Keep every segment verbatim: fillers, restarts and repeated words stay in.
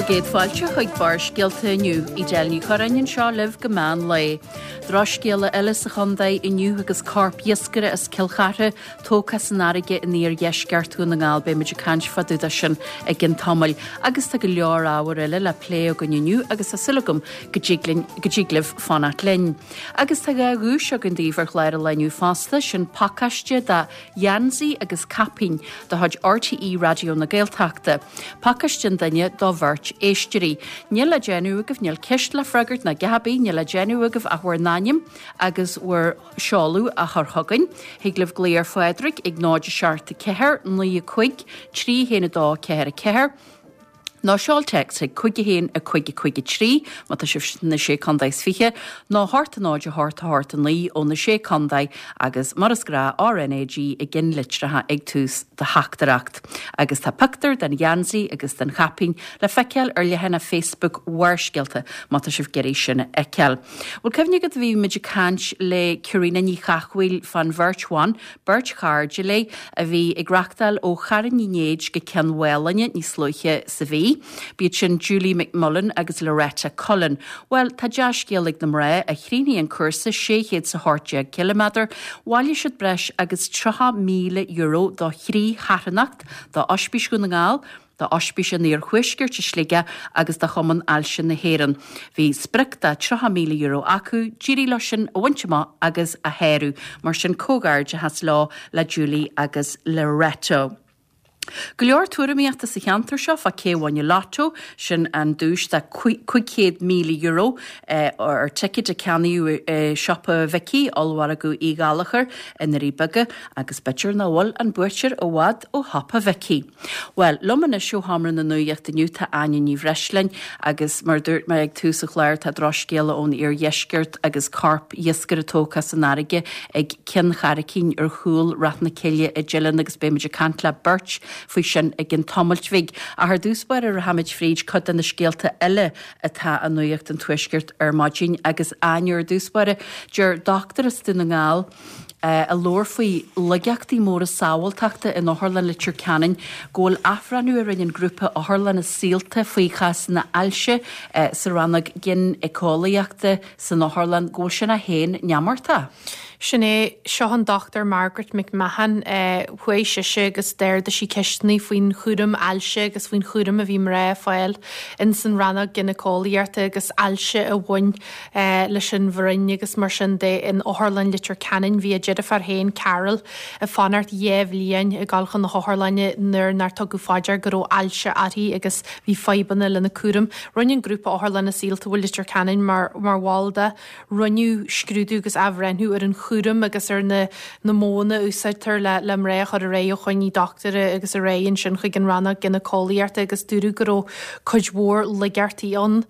Bhur gcéad fáilte chuig Barrscéalta inniu Edel Ní Churráin anseo libh go meán lae. Drochscéala eile sa chontae inniu agus corp iascaire as Cill Chartha tógtha san fharraige in iardheisceart Dhún na nGall beimid ag caint fá dtaobh de sin i gcionn tamaill. Agus tá go leor ábhar eile le plé againn inniu agus tá súil agam go dtig libh fanacht linn. Agus tá dhá dhuais againn daoibh ar chlár an lae inniu fosta sin pacáiste de gheansaí agus caipín de chuid RTÉ Raidió na Gaeltachta. Pacáiste an duine do bheirt éisteoirí. Níl le déanamh agaibh níl ceist le freagairt ná gabaí níl le déanamh agaibh ach bhur n-ainm agus bhur seoladh a chur chugainn. Thig libh glaoch ar Phádraig ag náid seacht ceathair naoi cúig trí haon dó ceathair ceathair. Nó seol téacs ag cúig haon a cúig cúig trí má tá sibh sna sé chontae is fiche, nó a hocht náid a hocht a hocht naoi ó na sé chontae agus mar is gnách RNAG i gceannlitreacha ag tús do theachtaireacht. Agus tá pictiúr den gheansaí agus den chaipín le feiceáil ar leathanach Facebook Bharrscéalta má tá sibh ag iarraidh sin a fheiceáil. Bhfuil cuimhne agat bhí muid ag caint le Ciaríona Ní Chathmhaoil fán bheirt bhan, beirt chairde léi a bhí ag rachtáil ó Charn Uí Néid go Ceann Mhálainne níos luaithe sa mhí. B'iad sin Julie McMullen agus Loretta Cullen. Well, tá dea-scéal ag na mná a chríochnaigh an cúrsa sé chéad is a hocht déag ciliméadar, bhailigh siad breis agus tríocha míle euro do thrí charthanacht do Ospís Dhún na nGall, do Ospís an Iarthuaiscirt i Sligeach agus do Chumann Ailse na hÉireann. Bhí sprioc de tríocha míle euro acu, d'éirigh leo sin a bhaint amach agus a shárú, mar sin comhghairdeachas leo le Julie agus Loretta. Go leor tuairimíochta sa cheantar seo fá cé a bhain an lotto sin an duais de cúig chéad míle euro ar ticéid a ceannaíodh i siopa Mhicí, ollmhargadh Uí Ghallchóir i nDoirí Beaga agus b'fhéidir nach bhfuil an buaiteoir i bhfad ó shiopa Mhicí. Well, liom anois ó Sheomra na Nuachta inniu tá Áine Ní Bhreisleáin agus mar dúirt mé ag tús an chláir tá drochscéala ón iardheisceart agus corp iascaire tógtha san fharraige ag Cionn Charraicín ar chúl Rath na Cille i dTeileann agus beimid ag caint le beirt faoi sin i gcionn tamaill bhig. Ach ar dtús báire rachaimid fríd cuid de na scéalta eile atá i nuacht an tuaiscirt ar maidin agus Áine ar dtús báire deir dochtúir as Dún na nGall a labhair faoi laigeachtaí móra sábháilteachta in Otharlann Leitir Ceanainn go bhfuil athbhreithniú a rinne an grúpa Otharlanna Saolta faoi chásanna ailse sa rannóg gineolaíochta san otharlann go bhfuil sin é féin neamartach. Sin é seo an Dr Margaret McMahon chuaigh sise agus d'ardaigh sí ceisteanna faoin chúram ailse agus faoin chúram a bhí mná ag fáil in san rannóg gineolaíochta agus ailse a bhain leis an bhroinn agus mar sin de in Otharlann Leitir Ceanainn bhí a deirfiúr féin Carol ag fanacht dhá bhliain ag dul chun na hotharlainne nuair nár tugadh faoi deara go raibh ailse uirthi agus bhí fadhbanna lena cúram. Rinne an grúpa Otharlanna Saolta bhfuil Leitir Ceanainn mar mar bhall de rinneadh scrúdú agus athbhreithniú ar an chúram agus ar na na modhanna a úsáidtear le le mná a chur ar aghaidh ó choinní dochtúra agus ar aghaidh ansin chuig an rannóg gineolaíochta agus dúradh go raibh cuid mhór laigeachtaí ann.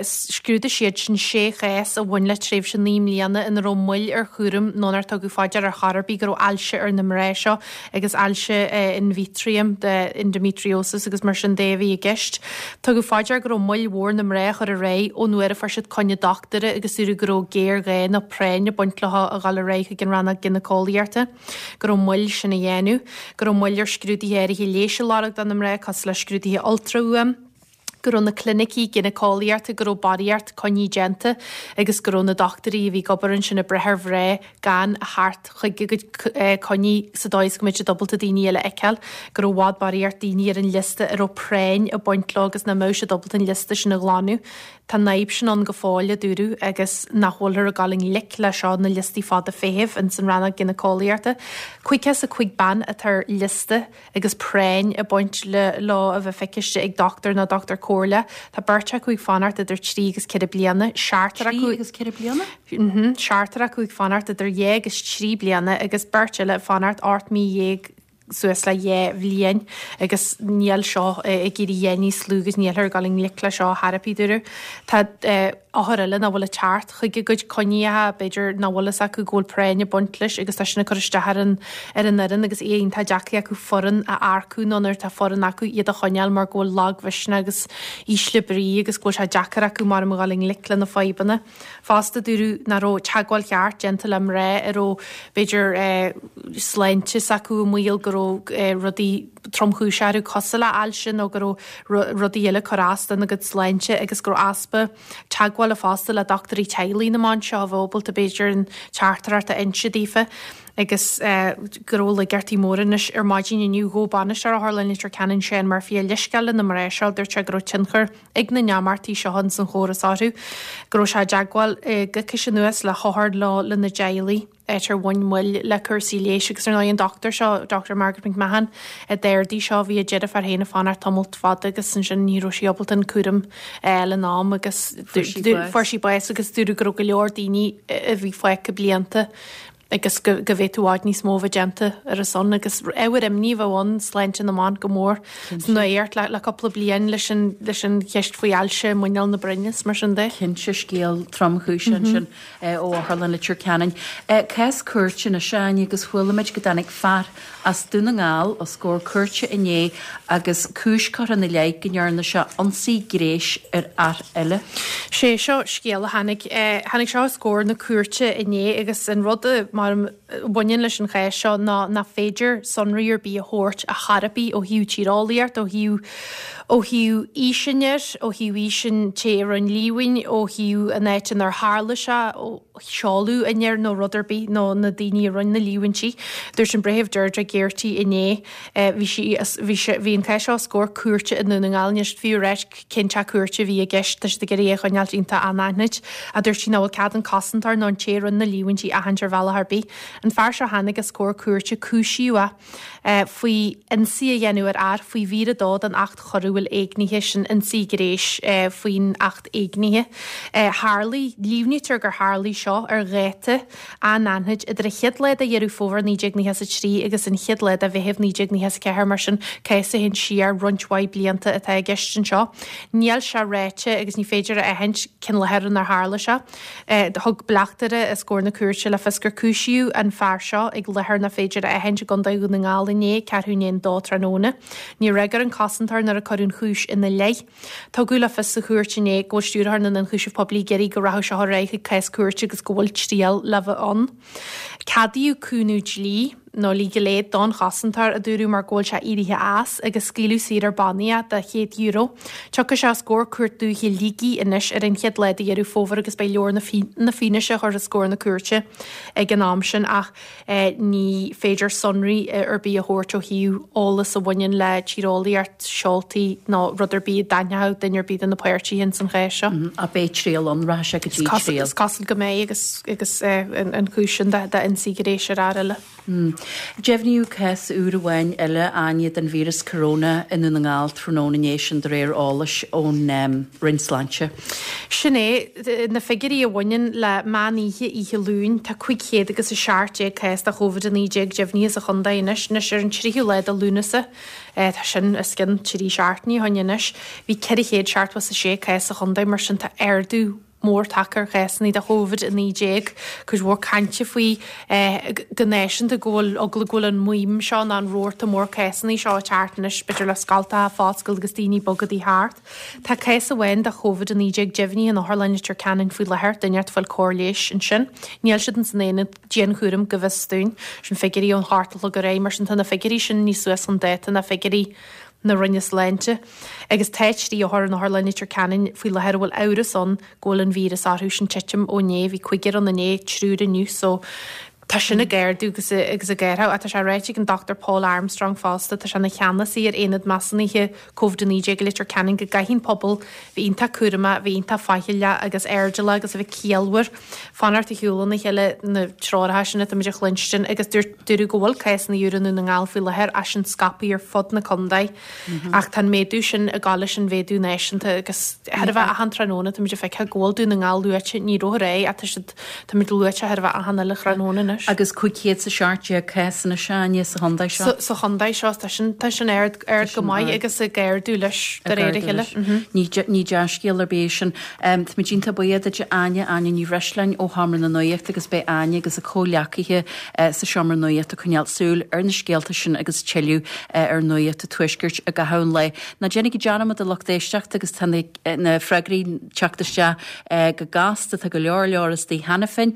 Scrúdaigh siad sin sé chás a bhain le tréimhse naoi mbliana ina raibh moill ar chúram nó nár tugadh faoi deara ar chor ar bith go raibh ailse ar na mná seo agus ailse endometrium de endometriosis agus mar sin de a bhí i gceist. Tugadh faoi deara go raibh moill mhór na mná a chur ar aghaidh ón uair a fuair siad coinne dochtúra agus dúradh go raibh géarghá nó práinn ag baint leo a dhul ar aghaidh chuig an rannóg gineolaíochta, go raibh moill sin a dhéanamh, go raibh moill ar scrúduithe áirithe leighis a lorg do na mná cosúil le scrúduithe ultrafhuaim, go raibh na clinicí gineolaíochta go raibh barraíocht coinní déanta agus go raibh na dochtúirí a bhí ag obair ansin ag brath ar mhná gan a theacht chuig a gcuid coinní sa dóigh is go mbeadh siad ábalta daoine eile a fheiceáil, go raibh i bhfad barraíocht daoine ar an liosta a raibh práinn ag baint leo agus nach mbeadh siad ábalta an liosta sin a ghlanadh. Tá an fhadhb sin ann go fóill, a dúradh, agus nach bhfuilthear ag dul i ngleic leis seo, na liostaí fada feithimh ins an rannóg gineolaíochta. Caoga is a cúig bean atá ar liosta agus práinn ag baint leo a bheith feiciste ag dochtúir nó dochtúir comhairle. Tá beirt acu ag fanacht idir trí agus ceithre bliana, seachtar acu. Trí agus ceithre bliana? Mhm, seachtar acu ag fanacht idir dhá agus trí bliana agus beirt eile ag fanacht ocht mí dhéag suas le dhá bhliain agus níl seo ag éirí a dhath níos lú agus nílthear ag dul i ngleic leis seo ar chor ar bith, dúradh. Tá othair eile nach bhfuil ag teacht chuig a gcuid coinníocha, b'fhéidir nach bhfuil fhios acu go bhfuil práinn ag baint leis agus tá sin ag cur isteach ar an ar an fhoireann agus é iontach deacair acu foireann a earcú nó nuair atá foireann acu iad a choinneáil mar go bhfuil lagmhisneach agus ísle brí agus go bhfuil sé deacair acu mar a dhul i ngleic le na fadhbanna. Fosta dúradh nach raibh teagmháil cheart déanta le mná a raibh b'fhéidir sláinte s'acu i mbaol go raibh raibh rudaí tromchúiseacha orthu cosúil le ailse nó go raibh rudaí eile ag cur as dona gcuid sláinte agus go raibh easpa teagmhála fosta le dochtúirí teaghlaigh na mban seo a bheadh ábalta b'fhéidir an teachtaireacht a inse daofa agus go raibh laigeartaí móra anois ar maidin inniu ghabh bainisteoir Otharlann Leitir Ceanainn Seán Murphy a leithscéal le na mná seo dúirt sé go raibh tionchar ag na n-imeachtaí seo ins an chóras orthu go raibh sé i dteagmháil coicís anuas le hothair le lena dteaghlaigh áit ar bhain moill le cúrsaí leighis agus ar ndóigh an dochtúir seo Doctor Margaret McMahon a d'ardaigh seo bhí a deirfiúr féin ag fanacht tamall fada agus ansin ní raibh sí ábalta an cúram a fháil in am agus fuair sí bás agus dúradh go raibh go leor daoine a bhí fágtha blianta agus go go bhféadfadh i bhfad níos mó a bheith déanta ar a son agus ábhar imní a bheith ann sláinte na mban go mór san nuacht le le cúpla bliain leis an leis an cheist faoi ailse muineál na broinne is mar sin de. Cinnte scéal tromchúiseach ansin ó Otharlann Leitir Ceanainn. Cás cúirte anois Áine agus chuala muid go dtáinig fear as Dún na nGall os comhair cúirte inné agus cúis curtha ina leith go ndearna sé ionsaí gnéis ar fhear eile. Sé seo scéal a tháinig tháinig seo os comhair na cúirte inné agus an rud a mar a bhaineann leis an chás seo ná nach féidir sonraí ar bith a thabhairt a chor ar bith ó thaobh tíreolaíocht, ó thaobh ó thaobh aois an fhir, ó thaobh aois an té a rinne líomhain, ó thaobh an áit inar tharla sé, ó sheoladh an fhir nó rud ar bith nó na daoine a rinne na líomhaintí. Dúirt an Breitheamh Deirdre Geraghty inné bhí sí bhí sé bhí an cás seo os comhair cúirte i nDún na nGall anois fiú a ráit cén teach cúirte a bhí i gceist tá siad ag iarraidh é a choinneáilt iontach anaithnid a dúirt sí nach bhfuil cead an cosantóir nó an té a rinne na líomhaintí a aithint ar bhealach ar bith. An fear seo tháinig os comhair cúirte cúisíodh é faoi ionsaí a dhéanamh ar fhear faoi mhír a dó den Acht Choiriúil Éignithe sin ionsaí gnéis faoin Acht Éignithe. Tharlaigh, líomhnaítear gur tharlaigh seo ar dháta anaithnid idir an chéad lá de Dheireadh Fómhair naoi déag nócha a trí agus an chéad lá de Mheitheamh naoi déag nócha a ceathair mar sin cás a théann siar roinnt mhaith blianta atá i gceist anseo. Níl sé ráite agus ní féidir a aithint cén láthair inar tharla sé. Thug bleachtaire os comhair na cúirte le fios gur cúisíodh an fear seo ag láthair nach féidir a aithint i gContae Dhún na nGall inné, ceathrú i ndiaidh a dó tráthnóna. Níor fhreagair an cosantóir nuair a cuireadh an chúis ina leith. Tugadh le fios sa chúirt inné go bhfuil Stiúrthóir na nIonchúiseamh Poiblí ag iarraidh go rachadh seo ar aghaidh chuig cás cúirte agus go bhfuil triail le bheith ann. Ceadaíodh cúnamh dlí nó legal aid don chosantóir a dúradh mar go bhfuil sé éirithe as agus scaoileadh saor ar bannaí é de chéad euro. Tiocfaidh sé os comhair Cúirt Dúiche Shligigh anois ar an chéad lá de Dheireadh Fómhair agus beidh leabhar na fianaise curtha os comhair na cúirte ag an am sin ach ní féidir sonraí ar bith a thabhairt ó thaobh eolas a bhaineann le tíreolaíocht, seoltaí nó rud ar bith a d'aithneodh duine ar bith de na páirtithe ins an chás seo. Ach beidh triail ann, rachaidh sé go dtí triail. Is cosúil go mbeidh agus agus an chúis sin d'ionsaí gnéis ar fhear eile. Deimhníodh cás úr amháin eile, Áine, den víreas corona i nDún na nGall tráthnóna inné, sin de réir eolais ón Roinn Sláinte. Sin é, na figiúirí a bhaineann le meán oíche oíche Luain, tá cúig chéad agus a seacht déag cás de Covid a naoi déag deimhnithe sa chontae anois. Anois ar an tríú lá de Lúnasa, tá sin os cionn trí seachtainí ó shin anois, bhí ceithre chéad seachtó is a sé cás sa chontae, mar sin tá ardú mór tagtha ar chásanna de Covid a naoi déag. Cuid mhór cainte faoi go náisiúnta go bhfuil eagla go bhfuil an maidhm seo nó an rabharta mór cásanna seo ag teacht anois, b'fhéidir le scoltacha ag foscailt agus daoine ag bogadaí thart. Tá cás amháin de Covid a naoi déag deimhnithe in Otharlann Leitir Ceanainn faoi láthair, duine ag fáil cóir leighis ansin. Níl siad ins an aonad dianchúraim go bhfios dúinn. Sin figiúirí ón hocht a chlog aréir, mar sin tá na figiúirí sin níos suas chun dáta ná figiúirí na Roinne Sláinte agus tá trí othar in Otharlann Leitir Ceanainn faoi láthair a bhfuil amhras ann go bhfuil an víreas orthu. Sin titim ó inné, bhí cúigear ann inné, triúr inniu so tá sin ag ardú agus agus ag éirí. Tá sé ráite ag an Dochtúir Paul Armstrong fosta, tá sé ina cheannasaí ar Aonad Measúnaithe Covid a naoi déag i Leitir Ceanainn go gcaithfidh an pobal bheith iontach cúramach, bheith iontach faichilleach agus airdeallach agus a bheith ciallmhar, fanacht ar shiúl óna chéile na treoracha sin atá muid a chluinstin agus dúirt dúradh go bhfuil cásanna úra i nDún na nGall faoi láthair ach sin scaipthe ar fud na contae ach tá an méadú sin ag gabháil leis an mhéadú náisiúnta agus chóir a bheith achan tráthnóna tá muid ag feiceáil go bhfuil Dún na nGall luaite ní raibh aréir ach tá siad tá muid luaite chóir a bheith achan uile thráthnóna anois. Agus cúig chéad is a seacht déag cás anois Áine sa chontae seo. Sa chontae seo tá sin tá sin ard ard go maith agus ag ardú leis de réir a chéile. Ní ní dea-scéal ar bith é sin. Táimid iontach buíoch duit Áine, Áine Ní Bhreisleáin ó Sheomra na Nuachta agus beidh Áine agus a comhghleacaithe sa Seomra Nuachta ag coinneáil súil ar na scéalta sin agus tuilleadh ar Nuacht an Tuaiscirt i gcaitheamh an lae. Ná déanaigí dearmad a lucht éisteachta agus tá na freagraí ag teacht isteach go gasta, tá go leor leor istigh cheana féin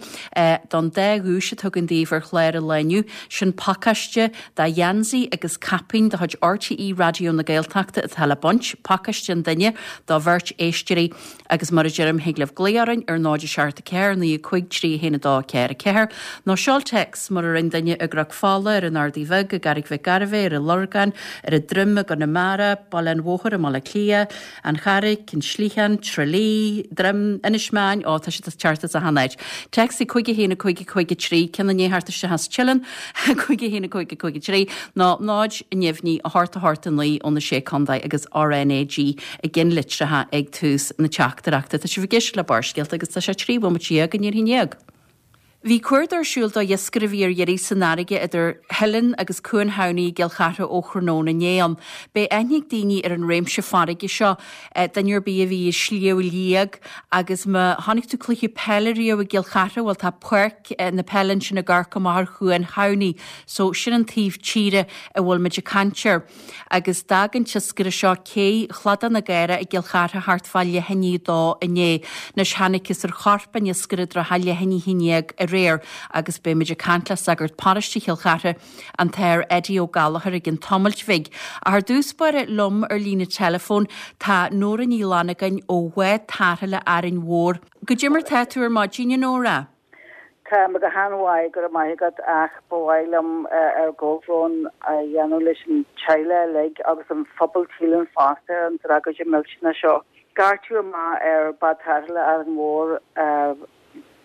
don dá dhuais atá againn daoibh ar chlár an lae inniu, sin pacáiste de gheansaí agus caipín de chuid RTÉ Raidió na Gaeltachta atá le baint, pacáiste an duine do bheirt éisteoirí agus mar a deirim thig libh glaoch orainn ar náid a seacht a ceathair naoi a cúig trí a haon a dó a ceathair a ceathair nó seol téacs mar a rinne duine i gCnoc Fola, ar an Ardaidh Bheag, i gCarraig Mhic Gairbheith, ar an Lorgain, ar an Droim i gConamara, Baile an Bhóthair i mBaile Átha Cliath, An Charraic, An Sligeán, Tralee, Droim, Inis Meáin, ó tá siad ag teacht as achan áit. Téacs ag cúig a haon a cúig a cúig a trí, ceann i ndiaidh theacht isteach as Teileann, cúig a haon a cúig a cúig a trí, nó náid neamhní a hocht a hocht a naoi ó na Sé Contae agus RnaG i gceannlitreacha ag tús na teachtaireachta. Tá sibh ag éisteacht le Barrscéalta agus tá sé trí bhomaite déag i ndiaidh a haon déag. Bhí cuardach ar siúl do iascaire a bhí ar iarraidh san fharraige idir Theileann agus Cuan Thamhnaigh i gCill Chartha ó thráthnóna inné ann. Beidh aithne ag daoine ar an réimse farraige seo, duine ar bith a bhí i Sliabh Liag agus má chonaic tú cluiche peile riamh i gCill Chartha, bhuel tá páirc na peile ansin ag amharc amach ar Chuan Thamhnaigh so sin an taobh tíre a bhfuil muid ag caint air. Agus d'fhág an t-iascaire seo cé Chladach na Gaire i gCill Chartha thart fá leath i ndiaidh a dó inné. Anois thángthas ar chorp an iascaire i dtrátha leath i ndiaidh a haon déag aréir agus beidh muid ag caint le sagart paróiste Chill Chartha, an tAthair Eddie Ó Gallchóir i gcionn tamailt bhig. Ach ar dtús báire liom ar líne teileafóin tá Nóra Ní Fhlannagáin ó Bhád Tarrthála Árainn Mhór. Goidé mar tá tú ar maidin, a Nóra? Tá mé go han-mhaith, go raibh maith agat, ach ba mhaith liom ár gcomhbhrón a dhéanamh leis an teaghlach uilig agus an phobal Teileann fosta ar an tragóid millteanach seo. Scairteadh amach ar Bád Tarrthála Árainn Mhór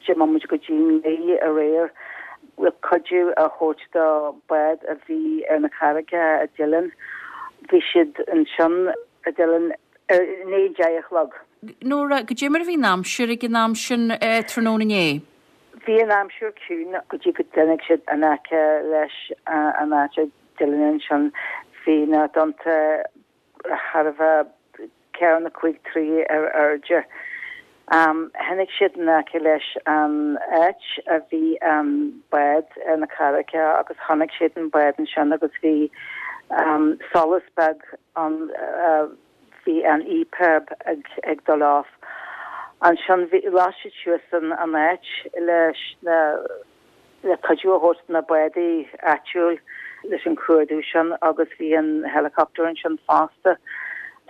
deich mbomaite go dtí naoi aréir le cuidiú a thabhairt do bhád a bhí ar na carraigeacha i dTeileann. Bhí siad ansin i dTeileann ar i ndiaidh deich a chlog. Nóra, goidé mar a bhí an aimsir ag an am sin tráthnóna inné? Bhí an aimsir ciúin go dtí go dtáinig siad in aice leis an áit i dTeileann ansin. Bhí na tonnta thar a bheith ceithre nó cúig troigh ar airde. Tháinig siad in aice leis an áit a bhí an bád ar na carraigeacha agus chonaic siad an bád ansin agus bhí solas beag ann. Bhí an EPIRB ag dul off. Ansin bhí, las siad suas an an áit leis na, le cuidiú a thabhairt do na bádaí áitiúil leis an chuardú sin agus bhí an helicopter ansin fosta.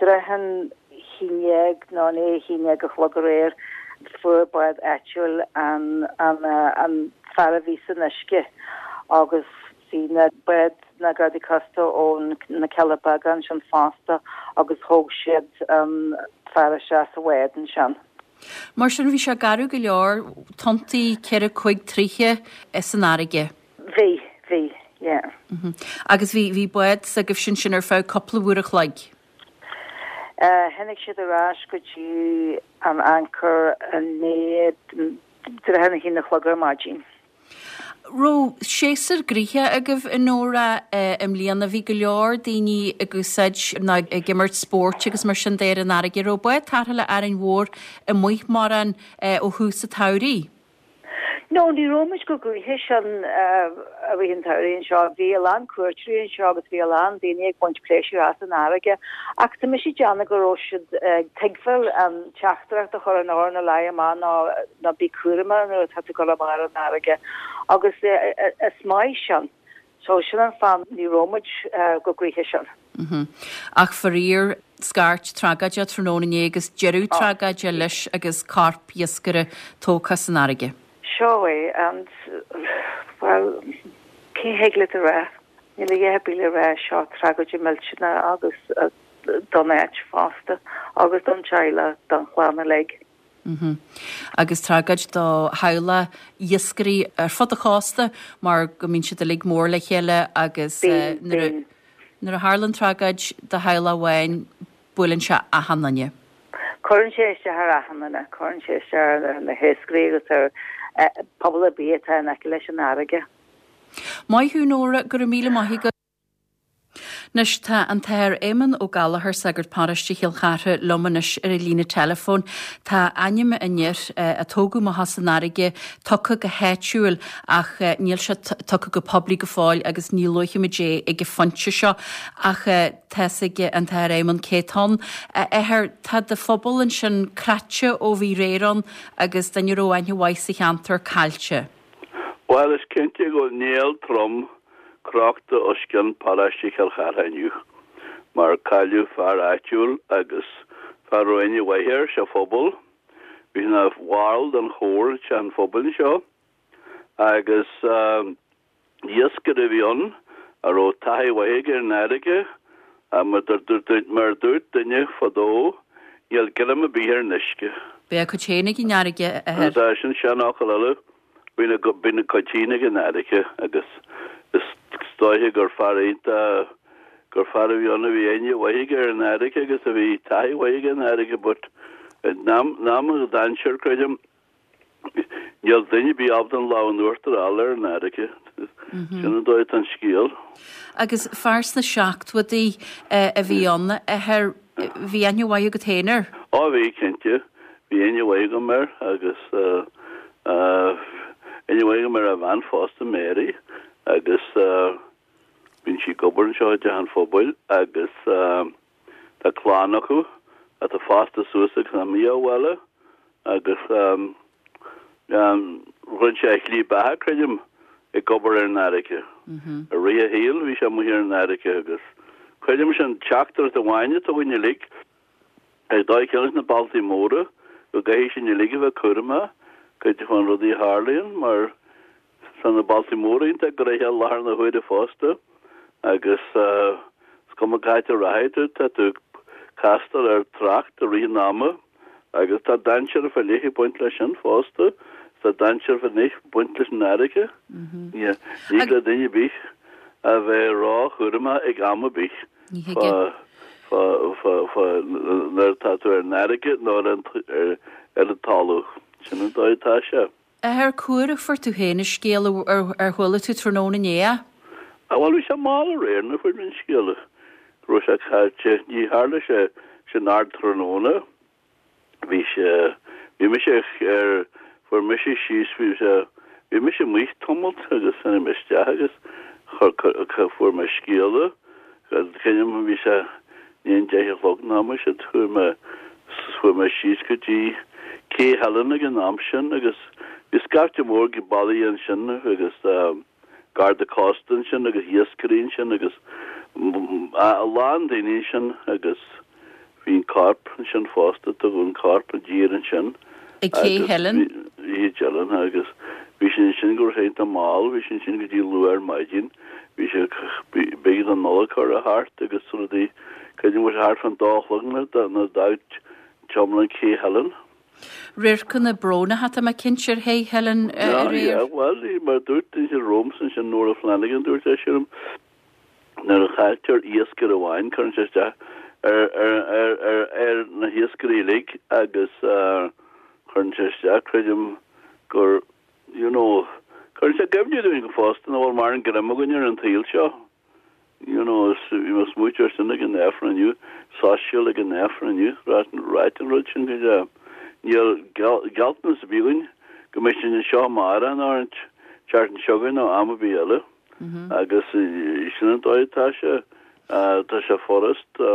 Trátha an haon dhéag nó i ndiaidh a haon déag a chlog aréir fuair bád áitiúil an an an fear a bhí san uisce agus Bhí na báid na Gardaí Cósta ó na Cealla Beaga ansin fosta agus thóg siad an fear isteach sa bhád ansin. Mar sin bhí sé garbh go leor, tonntaí ceithre cúig troighe san fharraige. Bhí, bhí, yeah. Agus bhí, bhí bád s'agaibhse ansin ar feadh cúpla uair a chloig? Tháinig siad ar ais go dtí an anchor i ndiaidh trátha a haon a chlog ar maidin. Raibh séasúr gnoitheach agaibh a Nóra i mbliana. Bhí go leor daoine ag úsáid nó ag imirt spóirt agus mar sin de ar an fharraige. Raibh Bád Tarrthála Árainn Mhór amuigh mórán ó thús an tsamhraidh? No, ní raibh muid chomh gnoitheach sin i rith an tsamhraidh anseo. Bhí a lán cuairteoirí anseo agus bhí a lán daoine ag baint pléisiúr as an fharraige. Ach tá mise ag déanamh go raibh siad ag tuigbheáil an teachtaireacht a chuir an RNLI amach ná ná bí cúramach nuair atá tú ag dul amach ar an fharraige. Agus is maith sin. So sin an fáth ní raibh muid chomh gnoitheach sin. Ach faraor, scairt tragóideach tráthnóna inné agus deireadh tragóide leis agus corp iascaire tógtha san fharraige. Seo é and, bhuel, cé thig leat a rá? Níl a dhath ar bith le rá, seo tragóid millteanach agus don áit fosta agus don teaghlach, don chlann uilig. Agus tragóid do theaghlaigh iascairí ar fud an chósta mar go mbíonn siad uilig mór le chéile agus nuair a tharlaíonn tragóid do theaghlach amháin buaileann sé achan duine. Cuireann sé isteach ar achan duine, cuireann sé isteach ar na hiascairí agus ar pobal ar bith atá in aice leis an fharraige. Maith thú Nóra, go raibh míle maith agat. Anois tá an tAthair Éamonn Ó Gallchóir, sagart paróiste Chill Chartha, liom anois ar an líne teileafóin. Tá ainm an fhir a tógadh amach as an fharraige tugtha go háitiúil ach níl sé tugtha go poiblí go fóill agus ní luafaimid é ag an phointe seo ach tá's ag an tAthair Éamonn cé tá ann. A Athair, tá do phobal ansin cráite ó bhí aréir ann agus duine a raibh aithne mhaith sa cheantar caillte. Bhuel, is cinnte go bhfuil néal trom crochta os cionn paróiste Chill Chartha inniu, mar cailleadh fear áitiúil agus fear a raibh aithne mhaith air sa phobal. Bhí ina bhall den chór i dteach an phobail anseo agus iascaire a bhí ann a raibh taithí mhaith aige ar an fharraige. Mar a dúirt duine fadó, níl greim ar bith ar an uisce. Beidh a cuid féin ag an fharraige, a athair. Sin seanfhocal eile. Bíonn a bíonn a cuid féin ag an fharraige agus is dóiche gur fear iontach gur fear a bhí ann a bhí aithne mhaith aige ar an fharraige agus a bhí taithí mhaith aige ar an fharraige but in am in am an dainséir creidim níl duine ar bith ábalta an lámh in uachtar a fháil ar an fharraige. Sin an dóigh atá an scéal. Agus fear sna seachtóidí a bhí ann, a athair, bhí aithne mhaith agat féin air? Á bhí, cinnte. Bhí aithne mhaith agam air agus aithne mhaith agam ar a bhean fosta, Mary, agus bíonn sí ag obair anseo i dTeach an Phobail agus tá clann acu atá fásta suas agus imithe ó bhaile agus rinne sé a shlí beatha, creidim, ag obair ar an fharraige. I rith a shaoil bhí sé amuigh ar an fharraige agus creidim sin teachtaireacht amháin atá againn uilig ar dóigh céanna leis na bailtí móra go gcaithfidh sinn uilig a bheith cúramach cuid de na rudaí a tharlaíonn mar tá na bailtí móra iontach gnoitheach i láthair na huaire fosta agus is cuma cá háit a rachaidh tú tá tú ag castáil ar trácht i rith an ama agus tá dainséar fá leith ag baint leis sin fosta, tá dainséar fá leith ag baint leis an fharraige. Ní thig le duine ar bith a bheith róchúramach ag am ar bith fá fá fá fá nuair atá tú ar an fharraige nó ar an ar an talamh. Sin an dóigh atá sé. A athair, cá huair a fuair tú féin an scéal ar chuala tú tráthnóna inné é? Á bhuel bhí sé mall aréir nuair a fuair mé an scéal go raibh sé caillte. Ní tharla sé sin ardtráthnóna. Bhí sé, bhí mise ar, fuair mise síos, bhí sé, bhí mise amuigh tamalt agus tháinig mé isteach agus chuir, fuair mé scéala, creidim bhí sé i ndiaidh a deich a chlog nó mar sin, chuaigh mé, chuaigh mé síos go dtí Cé Theilinn ag an am sin agus bhí scaifte mór bailithe ansin agus Garda Cósta ansin agus iascairí ansin agus a lán daoine ansin agus bhí an corp ansin fosta, tugadh an corp i dtír ansin. Ag Cé Theilinn? Cé Theilinn agus bhí sé ansin go raibh sé iontach mall, bhí sé ansin go dtí luath ar maidin, bhí sé, b'éigean don Nollaig a chur thart agus rudaí, creidim go raibh sé thart fán dó a chlog nuair a d'fhág triomaigh Cé Theilinn. Radharcanna brónacha tá mé cinnte ar Ché Theilinn aréir. Bhuel, mar dúirt duine romhamsa ansin, Nora Flanagan, dúirt sé sin nuair a chailltear iascaire amháin, cuireann sé isteach ar, ar, ar, ar, ar na hiascairí uilig agus cuireann sé isteach, creidim gur, you know, cuireann sé i gcuimhne dúinn go fosta nach bhfuil mórán greim againn ar an tsaol seo. You know, is bhí mé ag smaoitiú air sin ag an Aifreann inniu, soiscéal ag an Aifreann inniu, ráit an rud sin go deo. Níl gealltanas ar bith againn go mbeidh sinn anseo amárach nó an tseachtain seo chugainn nó am ar bith eile. Agus sin an dóigh atá sé, tá sé furast. Tá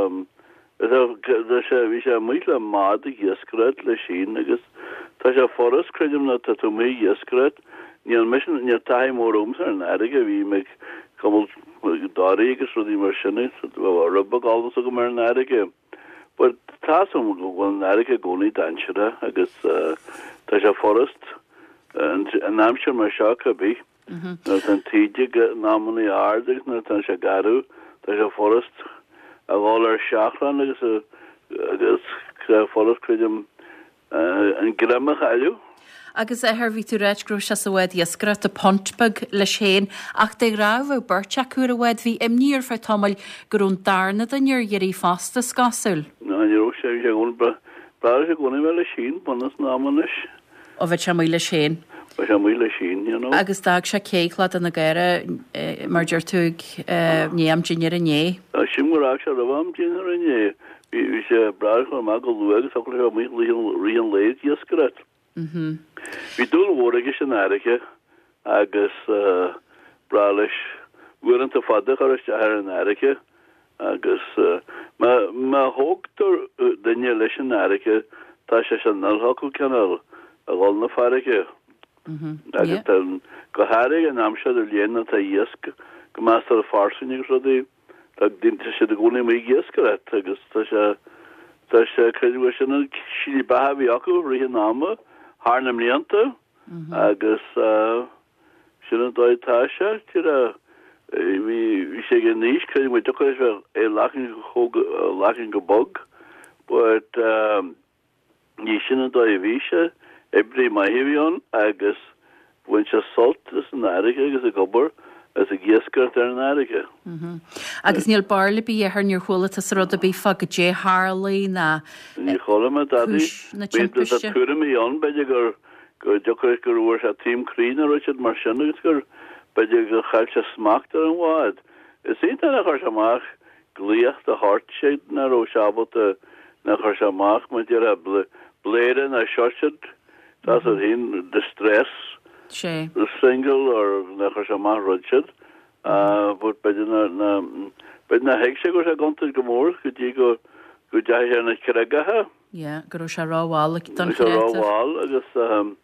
sé, bhí sé amuigh le bád ag iascaireacht leis féin agus tá sé furast, creidim, nuair atá tú amuigh ag iascaireacht. Níl mise, níl taithí mór agamsa ar an fharraige, bhí mé ag cuimilt doirí agus rudaí mar sin, rud beag eolas agam ar an fharraige. But tá's agam go bhfuil an fharraige i gcónaí dainséarach agus tá sé furast in aimsir mar seo cibé. Nuair atá an taoide in amannaí ard agus nuair atá sé garbh, tá sé furast a dhul ar seachrán agus agus tá sé furast, creidim, an greim a chailleadh. Agus a athair, bhí tú ag ráit go raibh sé sa bhád iascaireachta, punt beag, leis féin, ach de ghnáth bheadh beirt acu ar an bhád. Bhí imní ar feadh tamaill go raibh an darna duine ar iarraidh fosta, is cosúil. Ná ní raibh sé, bhí sé i gcónaí, ba bhreá leis i gcónaí a bheith leis féin, bunús an ama anois. Ó bheadh sé amuigh leis féin. Bheadh sé amuigh leis féin, you know. Agus d'fhág sé Cé Chladaigh na Gaora, mar deir tú, ag i ndiaidh am dinnéir inné. Sílim gur fhág sé roimh am dinnéir inné. Bhí, bhí sé breá leis dul amach go luath agus thiocfadh leis a bheith amuigh i rith an lae ag iascaireacht. Bhí dúil mhór aige san fharraige agus breá leis uaireanta fada a chur isteach ar an fharraige agus má, má thógtar duine leis an fharraige tá sé san fhocal cineál a dhul na farraige. Agus tá go háirithe an am seo de bhliain atá iasc go measartha fairsing agus rudaí, tá daoine siad i gcónaí amuigh ag iascaireacht agus tá sé tá sé creidim gur sin an slí beatha a bhí acu rith an ama thar na mblianta agus sin an dóigh atá sé. Tíre bhí bhí sé ag an aois creidim go dtiocfadh leis bheith é lachan chomh lachan go bog but ní sin an dóigh a bhí sé, oibrí maith a bhí ann agus bhain sé sult as an fharraige agus ag obair agus ag iascaireacht ar an fharraige. Agus níl barúil ar bith air, níor chuala tusa rud ar bith fá goidé tharlaigh ná Níor chuala mé dadaí. cúis na Bhí tá timpiste. tuairimí ann b'fhéidir gur go dtiocfadh gur bhfuair sé taom croí nó rud mar sin agus gur b'fhéidir gur chaill sé smacht ar an bhád. Is iontach nár chuir sé amach glaoch do shórt nach raibh sé ábalta nár chuir sé amach mar déarfá bléire ná siad tá a haon distress Sé. signal or nár chuir sé amach rud siad but b'fhéidir na na b'fhéidir nár thuig sé go raibh sé i gcontúirt go mór go dtí go go dteachaigh sé ar na creagacha. Yeah, go raibh sé rómhall don Sé chreatach. rómhall agus um,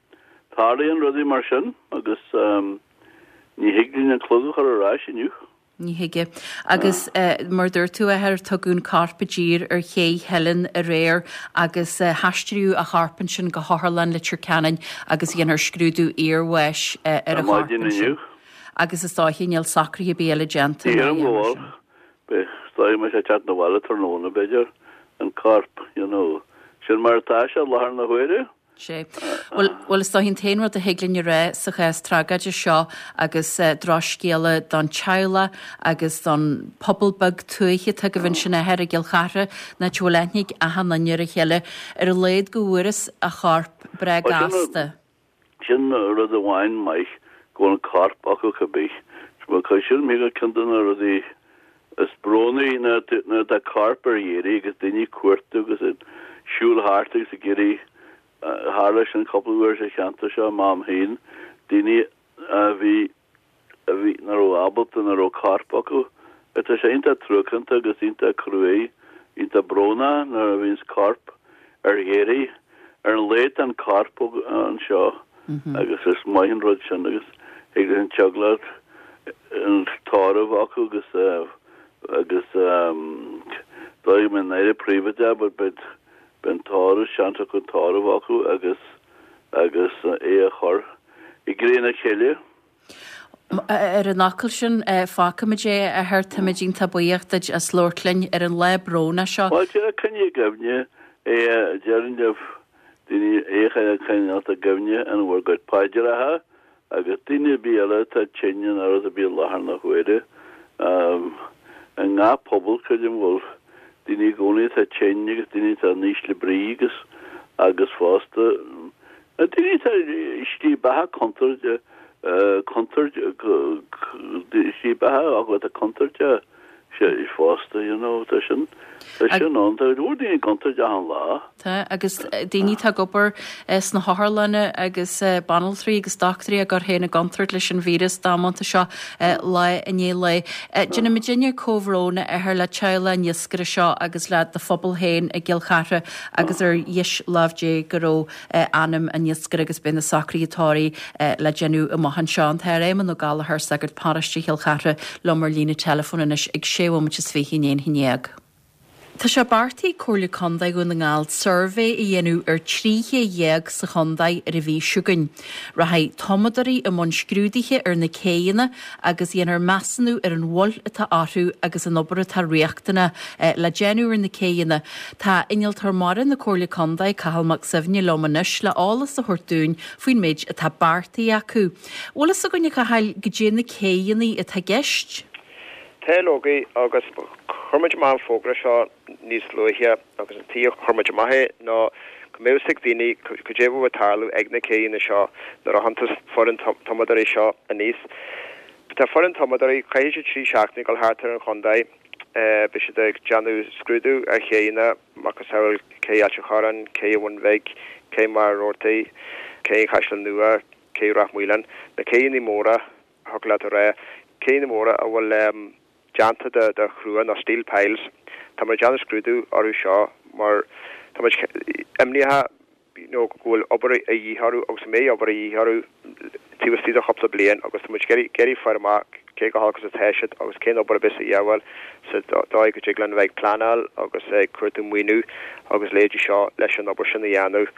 tarlaíonn rudaí mar sin agus um, ní thig linn an clog a chur ar ais inniu. Ní thig. Agus uh, mar dúirt tú athair tugadh an corp i dtír ar ché Theilinn aréir agus uh, haistríodh a chorp ansin go hOtharlann Leitir Ceanainn agus dhéanfar scrúdú iarbháis uh, ar a Ar maidin chorp ansin. inniu. Agus is dóiche níl socruithe ar bith eile déanta. Ní ná ar an dhéanfar bhfuil sin. Be me sé chat na bhile tráthnóna b'fhéidir an corp, you know. Sin mar atá sé láthair na huaire. Sé. Well, well is dóiche an t-aon rud a thig linn a rá sa chás tragóideach seo agus uh, drochscéala don teaghlach agus don pobal beag tuaithe atá agaibh ansin athair i gCill Chartha ná bhfuil aithne ag achan duine ar a chéile ar a laghad go bhfuarthas a chorp breá Well, sin gasta. Sin rud amháin maith go bhfuil an corp acu cibé. Sin mé go ceann de na rudaí is brónaí nuair atá corp ar iarraidh agus daoine ag cuartú agus ag siúl thart agus ag iarraidh tharla sin cúpla uair sa cheantar seo m'am féin daoine a bhí a bhí nach raibh ábalta nach raibh corp acu. Tá sé iontach truacánta agus iontach cruaidh iontach brónach nuair a bhíonns corp ar iarraidh ar an laghad an corp anseo agus is maith an rud sin agus ag an teaghlach an tórramh acu agus uh, agus um, dóigh mé éire príomhide but beidh ben tórramh seans acu tórramh acu agus agus é a chur i gcré na chéile. Ar an fhocal sin fágfaimid é a athair táimid iontach buíoch duit as labhairt linn ar an lá brónach seo. Well tí coinnigh i gcuimhne é déarfainn libh daoine é a choinneáil i gcuimhne in bhur gcuid paidreacha agus daoine ar bith eile atá tinn nó rud ar bith i láthair na huaire. Um, i ngach pobal creidim bhfuil daoine i gcónaí atá tinn agus daoine atá in ísle brí agus agus fosta na daoine atá slí beatha contúirteach contúirt slí beatha acu atá contúirteach sé fosta you know tá sin tá sin ann tá bhfuil daoine i gcontúirt achan lá. Tá agus daoine atá ag obair sna hotharlanna agus banaltraí agus dochtúirí ag cur féin i gcontúirt leis an víreas damanta seo lá i ndiaidh lae. Déanaimidne comhbhrón a athair le teaghlach an iascaire seo agus le do phobal féin i gCill Chartha agus ar dheis lámh Dé go raibh anam an iascaire agus beidh na socruithe tórraimh le déanamh amach anseo an tAthair Éamonn Ó Gallchóir sagart paróiste Chill Chartha liom ar líne teileafóin anois ag sé bhomaite is fiche i ndiaidh a haon déag. Tá sé beartaithe ag Comhairle Contae Dhún na nGall suirbhé a dhéanamh ar trí ché dhéag sa chontae ar an mhí seo chugainn. Rachaidh tumadóirí i mbun scrúduithe ar na céanna agus dhéanfar measúnú ar an bhail atá orthu agus an obair atá riachtanach le déanamh ar na céanna. Tá innealtóir mara na Comhairle Contae Cathal Mac Suibhne liom anois le eolas a thabhairt dúinn faoin méid atá beartaithe acu. Bhfuil fhios againn a Chathail goidé na céanna atá i gceist? Tá agus chuir muid amach an fógra seo níos luaithe agus an tuige chuir muid amach é ná go mbeadh ag daoine cad é atá ag tarlú ag na céanna seo nuair a thagann foireann tumadóirí seo aníos. Tá foireann tumadóirí caithfidh siad trí seachtaine dul thart ar an chontae beidh siad ag déanamh scrúdú ar chéanna macasamhail cé Ailt an Chorráin, cé Bhun Bhig, cé Machaire Rabhartaigh, cé Chaisleán Nua, cé Ráth Maoláin, na céanna móra thug leat a rá, céanna móra a bhfuil um, déanta de de chrua nó steel piles. Tá muid déanamh scrúdú orthu seo mar tá muid imníoch you know, go bhfuil obair a dhíth orthu agus go mbeidh obair a dhíth orthu taobh istigh de chúpla bliain agus tá muid ag iarraidh fáil amach cé go holc is atá siad agus cén obair a bheas a dhíobháil sa dóigh go dtig linn a bheith ag pleanáil agus ag cuartú maoiniú agus leithéidí seo leis an obair sin a dhéanamh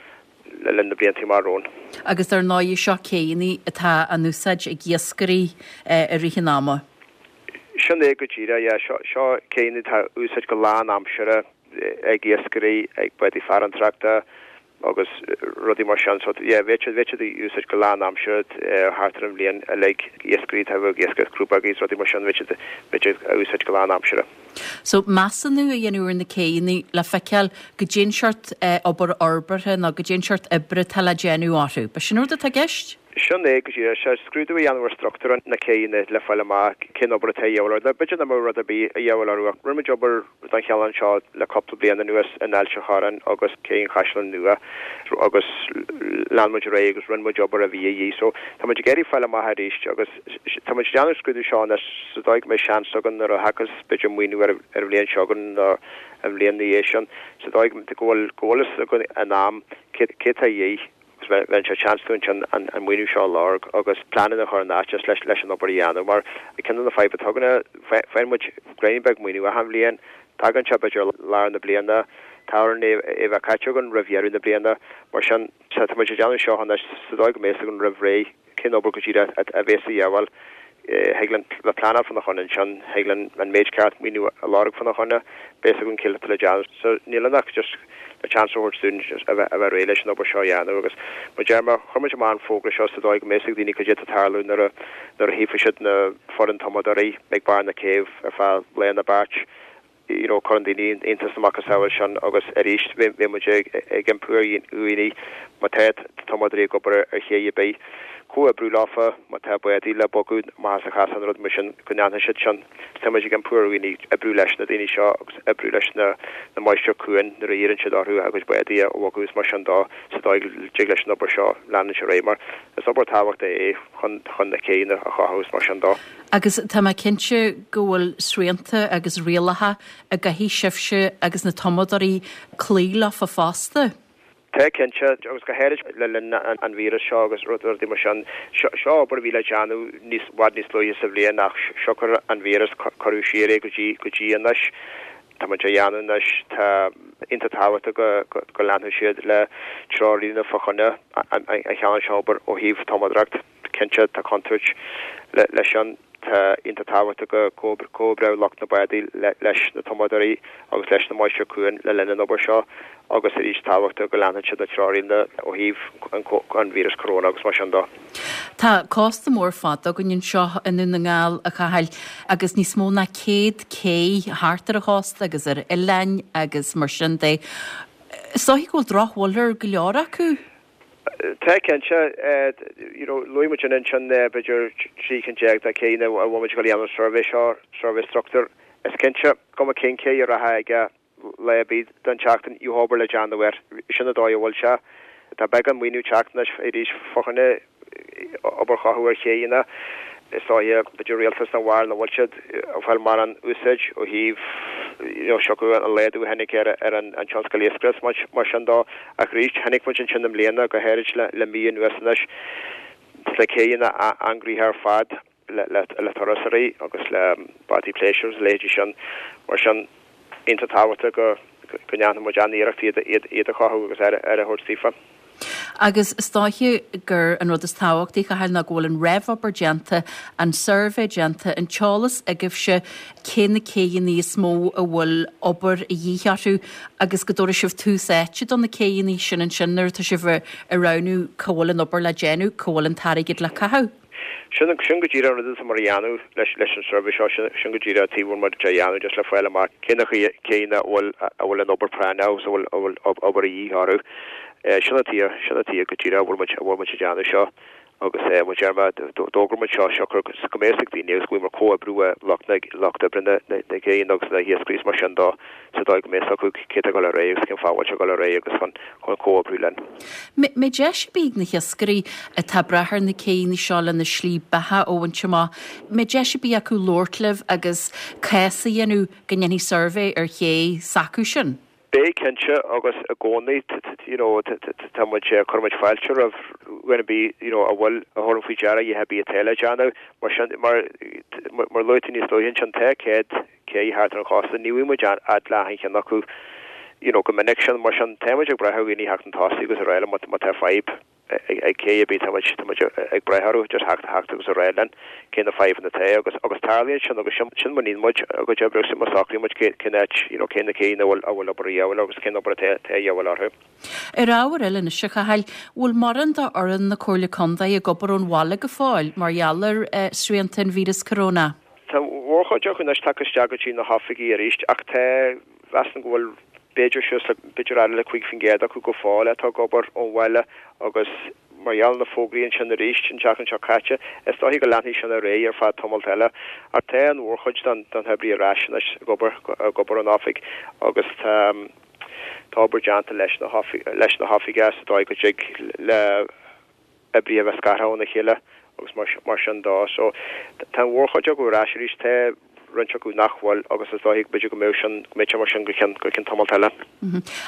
le linn na blianta amach romhainn. Agus ar ndóigh seo céanna atá á n-úsáid ag iascairí i rith an ama. Sin é go díreach, yeah. Seo, seo céanna atá á úsáid go lánaimseartha ag iascairí, ag bádaí farantóireachta agus rudaí mar sin. So, yeah, bheadh siad, bheadh siad á úsáid go lánaimseartha thart ar an bhliain uilig. Iascairí atá ag iascaireacht crúbógaí is rudaí mar sin, bheadh siad, bheadh siad á úsáid go lánaimseartha. So, measúnú a dhéanamh ar na céanna le feiceáil goidé an seort obair fhorbartha nó goidé an seort oibre atá le déanamh orthu. B'shin an rud atá i gceist? Sin é go díreach. Sea, scrúdú a dhéanamh ar struchtúr na céanna le fáil amach cén obair atá a dhíobháil orthu. B'fhéidir nach mbeadh rud ar bith a dhíobháil orthu ach rinne muid obair den chineál seo le cúpla bliain anuas in Ailt an Chorráin agus Cé an Chaisleáin Nua agus lean muid ar aghaidh agus rinne muid obair a bhí a dhíth. So tá muid ag iarraidh fáil amach arís agus tá muid ag déanamh an scrúdú seo anois sa dóigh go mbeidh seans againn nuair a thiocfas b'fhéidir maoiniú ar an bhliain seo chugainn nó an bhliain ina dhiaidh sin sa dóigh go bhfuil go bhfuil fhios againn in am cé cé tá a dhíth agus bheadh sé seans dúinn ansin an an maoiniú seo a lorg agus pleananna a chur in áit leis leis an obair a dhéanamh mar ceann de na fadhbanna atá againn faigheann muid greim beag maoiniú achan bhliain tagann sé b'fhéidir lár na bliana, tá orainn é a bheith caite againn roimh dheireadh na bliana. Mar sin, tá muid ag déanamh seo anois sa dóigh go mbeidh fhios againn roimh ré cén obair go díreach a bheas a dhíobháil. Thig linn bheith pleanáil fána choinne ansin, thig linn an méid ceart maoiniú a lorg fána choinne, beidh fhios againn céard atá le déanamh. So níl ann ach just le chance a thabhairt dúinn a bheith a bheith réidh leis an obair seo a dhéanamh agus mar deir mé, chuir muid amach an fógra seo sa dóigh go mbeidh fhios ag daoine cad é atá ag tarlú nuair a nuair a tchífidh siad na foireann tumadóirí ag barr na céibhe ar feadh lá nó beirt. You know, cuireann daoine iontas na macasamhail sin agus arís bheidh muid ag iompú ar dhaoine má tá tumadóirí ag obair ar ché ar bith, comhoibriú leofa, má tá bádaí le bogadh amach as an chasán rud mar sin go ndéanfaidh siad sin. Tá muid ag iompú ar dhaoine oibriú leis na daoine seo agus oibriú leis na na máistrí cuain nuair a iarrann siad orthu a gcuid bádaí a bhogadh is mar sin dó sa dóigh go dtig leis an obair seo leanúint ar aghaidh mar is obair tábhachtach é chun chun na céanna a chothú is mar sin dó. Agus tá mé cinnte go bhfuil srianta agus rialacha a gcaithfidh sibhse agus na tumadóirí cloí leofa fosta. Tá cinnte, agus go háirid le linn an víreas seo agus rudaí mar sin. Seo obair a bhí le déanamh níos bhfad níos luaithe sa bhliain ach siocair an víreas cuireadh siar é go dtí go dtí anois. Tá muid á dhéanamh anois. Tá iontach tábhachtach go go leanfaidh siad le treoirlíne fá choinne an cheann seo obair ó thaobh tumadóireacht. Cinnte tá contúirt leis sin. Tá iontach tábhachtach go gcomhoibreodh lucht na bádaí leis na tumadóirí agus leis na máistrí cuain le linn an obair seo agus arís tábhachtach go leanfadh siad na treoirlínte ó thaobh an víreas coróna agus mar sin dó. Tá cósta mór fada againn anseo i nDún na nGall, a Chathail, agus níos mó ná céad cé thart ar an chósta agus ar oileáin agus mar sin de. Is dóichí go bhfuil drochbhail ar go leor acu? Tá cinnte. You know, luaigh muid ansin b'fhéidir trí cinn déag de chéanna a bhfuil muid ag dul a dhéanamh an suirbhé seo, suirbhé struchtúir. Is cinnte cuma cén cé a rachfá aige lá ar bith den tseachtain, gheobhaidh obair le déanamh air. Sin an dóigh a bhfuil sé. Tá beagán maoiniú ag teacht anois arís fá choinne obair chothú ar chéanna. Is dóiche, b'fhéidir rialtas na bhfear nach bhfuil siad ag fáil mórán úsáid ó thaobh you know siocair an laghdú a tháinig ar ar an an tionscal iascaireachta mar mar sin dó. Ach arís, chonaic muid ansin i mbliana, go háirid le le mí anuas anois, sna céanna an-ghnoitheach ar fad le le le turasóirí agus le bádaí pléisiúir agus a leithéidí sin. Mar sin, iontach tábhachtach go go ndéanfaidh muid an-iarracht iad iad iad a chothú agus aire aire a thabhairt daofa. Agus is dóiche gur an rud is tábhachtaí, a Chathail, ná go bhfuil an réamhobair déanta, an suirbhé déanta, an t-eolas agaibhse cé na céanna is mó a bhfuil obair a dhíth orthu agus go dtabharfaidh sibh tús áite do na céanna sin ansin nuair atá sibh ag roghnú cá bhfuil an obair le déanamh, cá bhfuil an t-airgead le caitheamh. Sin sin go díreach an rud atá muid a dhéanamh leis leis an suirbhé seo, sin sin go díreach an taobh a bhfuil muid a dhéanamh just le fáil amach cé na céanna a bhfuil a bhfuil an obair práinneach agus a bhfuil a bhfuil obair a dhíth orthu. Sin an tuige sin an tuige go díreach a bhfuil muid a bhfuil muid a dhéanamh seo agus mar a deir mé d'fhógair muid seo siocair go mbeidh fhios ag daoine agus go bhfuil muid ag comhoibriú le lucht na lucht oibre na na gcéanna agus na hiascairí is mar sin dó sa dóigh go mbeidh fhios acu cé tá ag dul ar aghaidh agus cén fáth a bhfuil sé ag dul ar aghaidh agus chun chun comhoibriú linn. Mbeidh deis ar bith ag na hiascairí atá ag brath ar na céanna seo lena slí beatha a bhaint amach, mbeidh deis ar bith acu labhairt libh agus cás a dhéanamh go ndéanfaí suirbhé ar ché s'acu sin? Beidh cinnte agus i gcónaí you know tá muid cuireann muid fáilte roimh dhuine ar bith you know a bhfuil a thabharann faoi deara a dhath ar bith atá le déanamh mar sin mar mar luaigh tú níos luaithe ansin tá céad cé thart ar an chósta ní bhíonn muid fhad le achan cheann acu you know go minic sin mar sin tá muid ag brath ar dhaoine theacht chun tosaigh agus araile má má tá fadhb ag cé ar bith tá muid tá muid ag brath orthu just theacht theacht agus a rá linn cé na fadhbanna atá agus agus tarlaíonn sin agus sin sin mar níonn muid a gcuid oibre agus sin mar socraíonn muid cé cén áit you know cé na céanna a bhfuil a bhfuil obair a dhíobháil agus cén obair atá atá a dhíobháil orthu. Ar ábhar eile anois a Chathail, bhfuil mórán d'fhoireann na Comhairle Contae ag obair ón bhaile go fóill mar gheall ar eh, srianta an víreas corona? Tá mórchuid acu anois tagtha isteach go dtí na hoifigí arís ach tá mheasaim go bhfuil b'fhéidir suas le b'fhéidir eile le cúig faoin gcéad acu go fóill atá ag obair ón bhaile agus mar gheall na fógraí ansin arís an tseachtain seo caite is dóichí go leanfaidh sin ar aghaidh ar feadh tamalt eile ach tá an mhórchuid den den oibrí ar ais anois ag obair ag obair ón oifig agus tá tá obair déanta leis na leis na hoifigí sa dóigh go dtig le oibrithe a bheith scartha óna chéile agus mar mar sin dó so tá an mhórchuid acu ar ais arís tá roinnt acu nach bhfuil agus is dóichí b'fhéidir go mbeidh sin go mbeidh sé mar sin go ceann go ceann tamalt eile.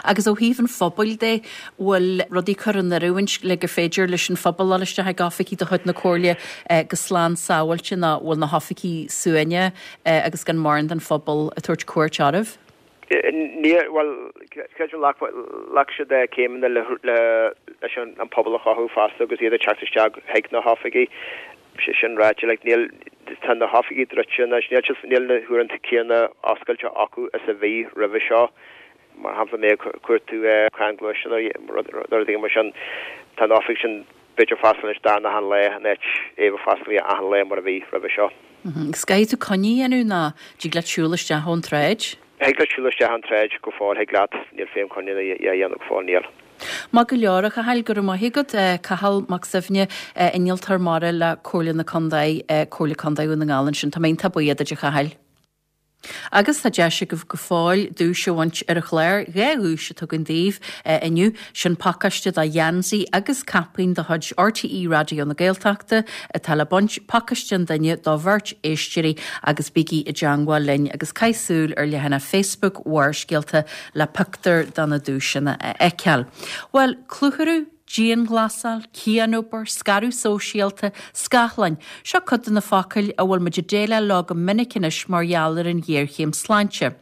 Agus ó thaobh an phobail de bhfuil rudaí curtha in oiriúint le gur féidir leis an phobal dul isteach ag oifigí de chuid na Comhairle go slán sábháilte ná bhfuil na hoifigí suaimhneach agus gan mórán den phobal ag tabhairt cuairt orthu? Ní well creidim ghlac siad céimeanna le le leis an an pobal a chothú fosta agus iad ag teacht isteach chuig na hoifigí sé sin ráite like níl tá na hoifigí druidte anois níl siad níl na huaireanta céanna oscailte acu is a bhí roimhe seo mar shampla mé cuartú crann gluaisteáin nó rudaí mar sin tá an oifig sin b'fhéidir foscailte anois darna han lá in áit é bheith foscailte achan lá mar a bhí roimhe seo. Caithfidh tú coinne a dhéanamh ná dtig leat siúl isteach ón tsráid? Thig leat siúl isteach an tsráid go fóill thig leat níl feidhm coinne a dhéanamh go fóill níl. Maith go leor a Chathail go raibh maith agat Cathal Mac Suibhne innealtóir mara le Comhairle na Contae Comhairle Contae Dhún na nGall ansin Tá mé iontach buíoch duit a Chathail. Agus tá deis agaibh go fóill duais a bhaint ar an chlár dhá dhuais atá againn daoibh inniu sin pacáiste de gheansaí agus caipín de chuid RTÉ Raidió na Gaeltachta atá le baint pacáiste an duine do bheirt éisteoirí agus bígí i dteagmháil linn agus caith súil ar leathanach Facebook Bharrscéalta le pictiúr de na duaiseanna a fheiceáil. Well, clutharú dianghlasáil, cianobair, scaradh sóisialta, scáthláin, seo cuid de na focail a bhfuil muid ag déileáil leo go minic anois mar gheall ar an ghéarchéim sláinte.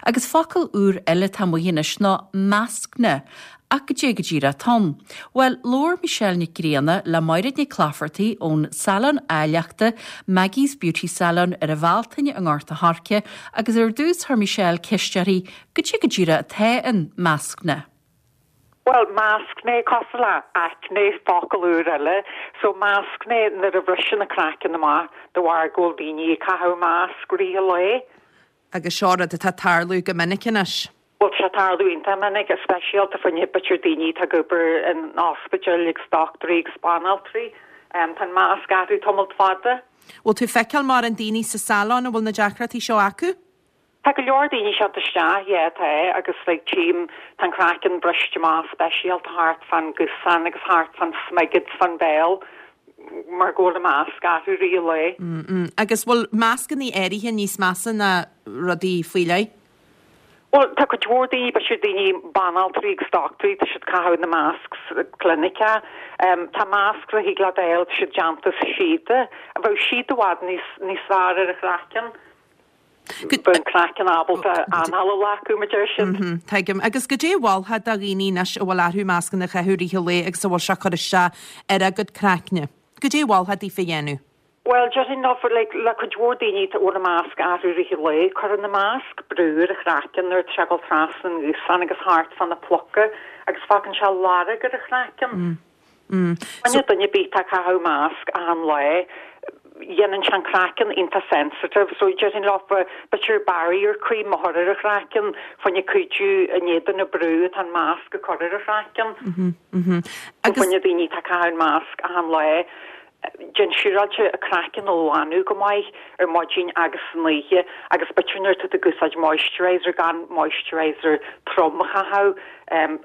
Agus focal úr eile atá amuigh anois ná mascanna. Ach goidé go díreach atá ann. Well, labhair Michelle Nic Grianna le Máiréad Nic Laifeartaigh ón Salon Áilleachta Maggie's Beauty Salon ar an Bhealtaine i nGort a' Choirce agus ar dtús chuir Michelle ceist uirthi goidé go díreach atá in mascanna. Well, mascanna cosúil le acne focal úr eile, so mascanna nuair a bhriseann an craiceann amach de bharr go bhfuil daoine ag caitheamh masc rith an lae. Agus seo rud atá tarlú go minic anois. Well tá tarlú iontach minic, speisialta fá choinne b'fhéidir daoine atá ag obair in ospidéil agus dochtúirí agus banaltraí. Um, tá an masc orthu tamall fada. Bhfuil tú feiceáil mórán daoine sa salon a bhfuil na deacrachtaí seo acu? Tá go leor daoine seo isteach yeah, tá agus like, tchím tá an craiceann briste amach speisialta thart fan gcosán agus thart fan smigid fan béal mar go bhfuil an masc orthu rith an lae. Mm -mm. Agus bhfuil mascanna áirithe níos measa ná rudaí faoi leith? Well tá cuid mhór daoine b'fhéidir daoine banaltraí agus dochtúirí tá siad caitheamh na mascs clinice. Um, tá masc a thig leat a fháil tá siad déanta as síoda, a bheadh síoda i bhfad níos níos fearr ar an chraiceann. Bheadh an craiceann ábalta anáil a ghlacadh mar deir siad. Mm -hmm, Tuigim agus goidé a mholfá do dhaoine anois a bhfuil orthu mascanna a chaitheamh rith an lae agus a bhfuil sé cur isteach ar a gcuid craicne. Goidé a mholfá daofa a dhéanamh. Well déarfainn ná for like, le cuid mhór daoine tá bhfuil an masc orthu rith an lae, cuireann na masc brú ar an chraiceann nuair atá sé ag dul trasna an ghusáin agus thart fan na pluca agus fágann sé lorg ar an chraiceann. Mm. Mm. So duine ar bith atá ag caitheamh masc achan lá, dhéanann sé an craiceann iontach sensitive, so déarfainn leofa b'fhéidir barrier cream a chur ar an chraiceann fá choinne cuidiú in éadan na brú atá an masc ag cur ar an chraiceann. Mm -hmm, mm -hmm. Agus fá choinne daoine atá ag caitheamh masc achan lá, déan siúráilte a craiceann a ghlanadh go maith ar maidin agus san oíche agus b'fhéidir nuair atá tú ag úsáid moisturizer gan moisturizer trom a chaitheamh um,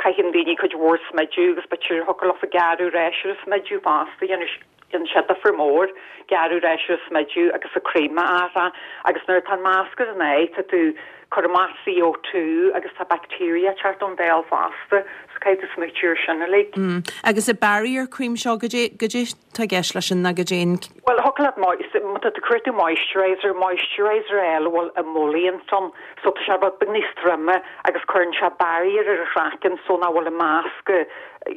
caitheann daoine cuid mhór smideadh agus b'fhéidir thiocfadh leofa gearradh breis ar an smideadh fosta dhéanamh Déanann sé difear mór, gearradh ar an smideadh agus an cream a athrá agus nuair atá an masc ar an aghaidh tá tú cur amach C O two agus tá bacteria ag teacht ón bhéal fosta so caithfidh tú smaoitiú ar sin uilig. Mm. Agus an barrier cream seo goidé goidé tá i gceist leis sin ná goidé an. Bhuel thiocfadh leat má tá tú cuir tú moisturizer, moisturizer eile a bhfuil emollient ann so tá sé rud beag níos troime agus cuireann sé barrier ar an chraiceann so nach bhfuil an masc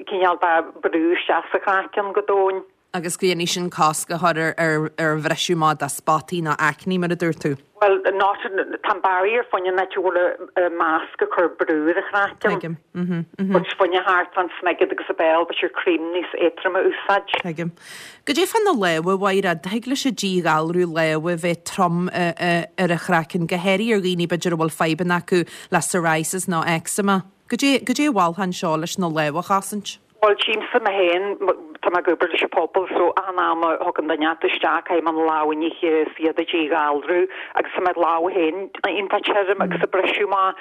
cineál de brú isteach sa chraiceann go domhain. Agus go ndéanfaidh sin cosc a chur ar ar bhriseadh amach de spotaí nó acne mar a dúirt tú. Bhuel, not, tá an barrier fá choinne an áit a bhfuil an masc ag cur brú ar an chraiceann. Tuigim. Mhm, mhm. But fá choinne thart fán smigead agus an béal, b'fhéidir cream níos éadtroime a úsáid. Tuigim. Goidé fá na lámha, a Mhaighread, thig leis an díghalrú lámha bheith trom ar an chraiceann, go háirithe ar dhaoine b'fhéidir a bhfuil fadhbanna acu le psoriasis nó eczema. Goidé, goidé a mholfá anseo leis na lámha a chosaint? Bhuel, tchímse mé féin, tá mé ag obair leis an pobal so achan am a thagann duine inteacht isteach caithfidh mé na lámha a nithe is iad a dhíghalrú agus tá mo lámha féin iontach tirim agus ag briseadh amach.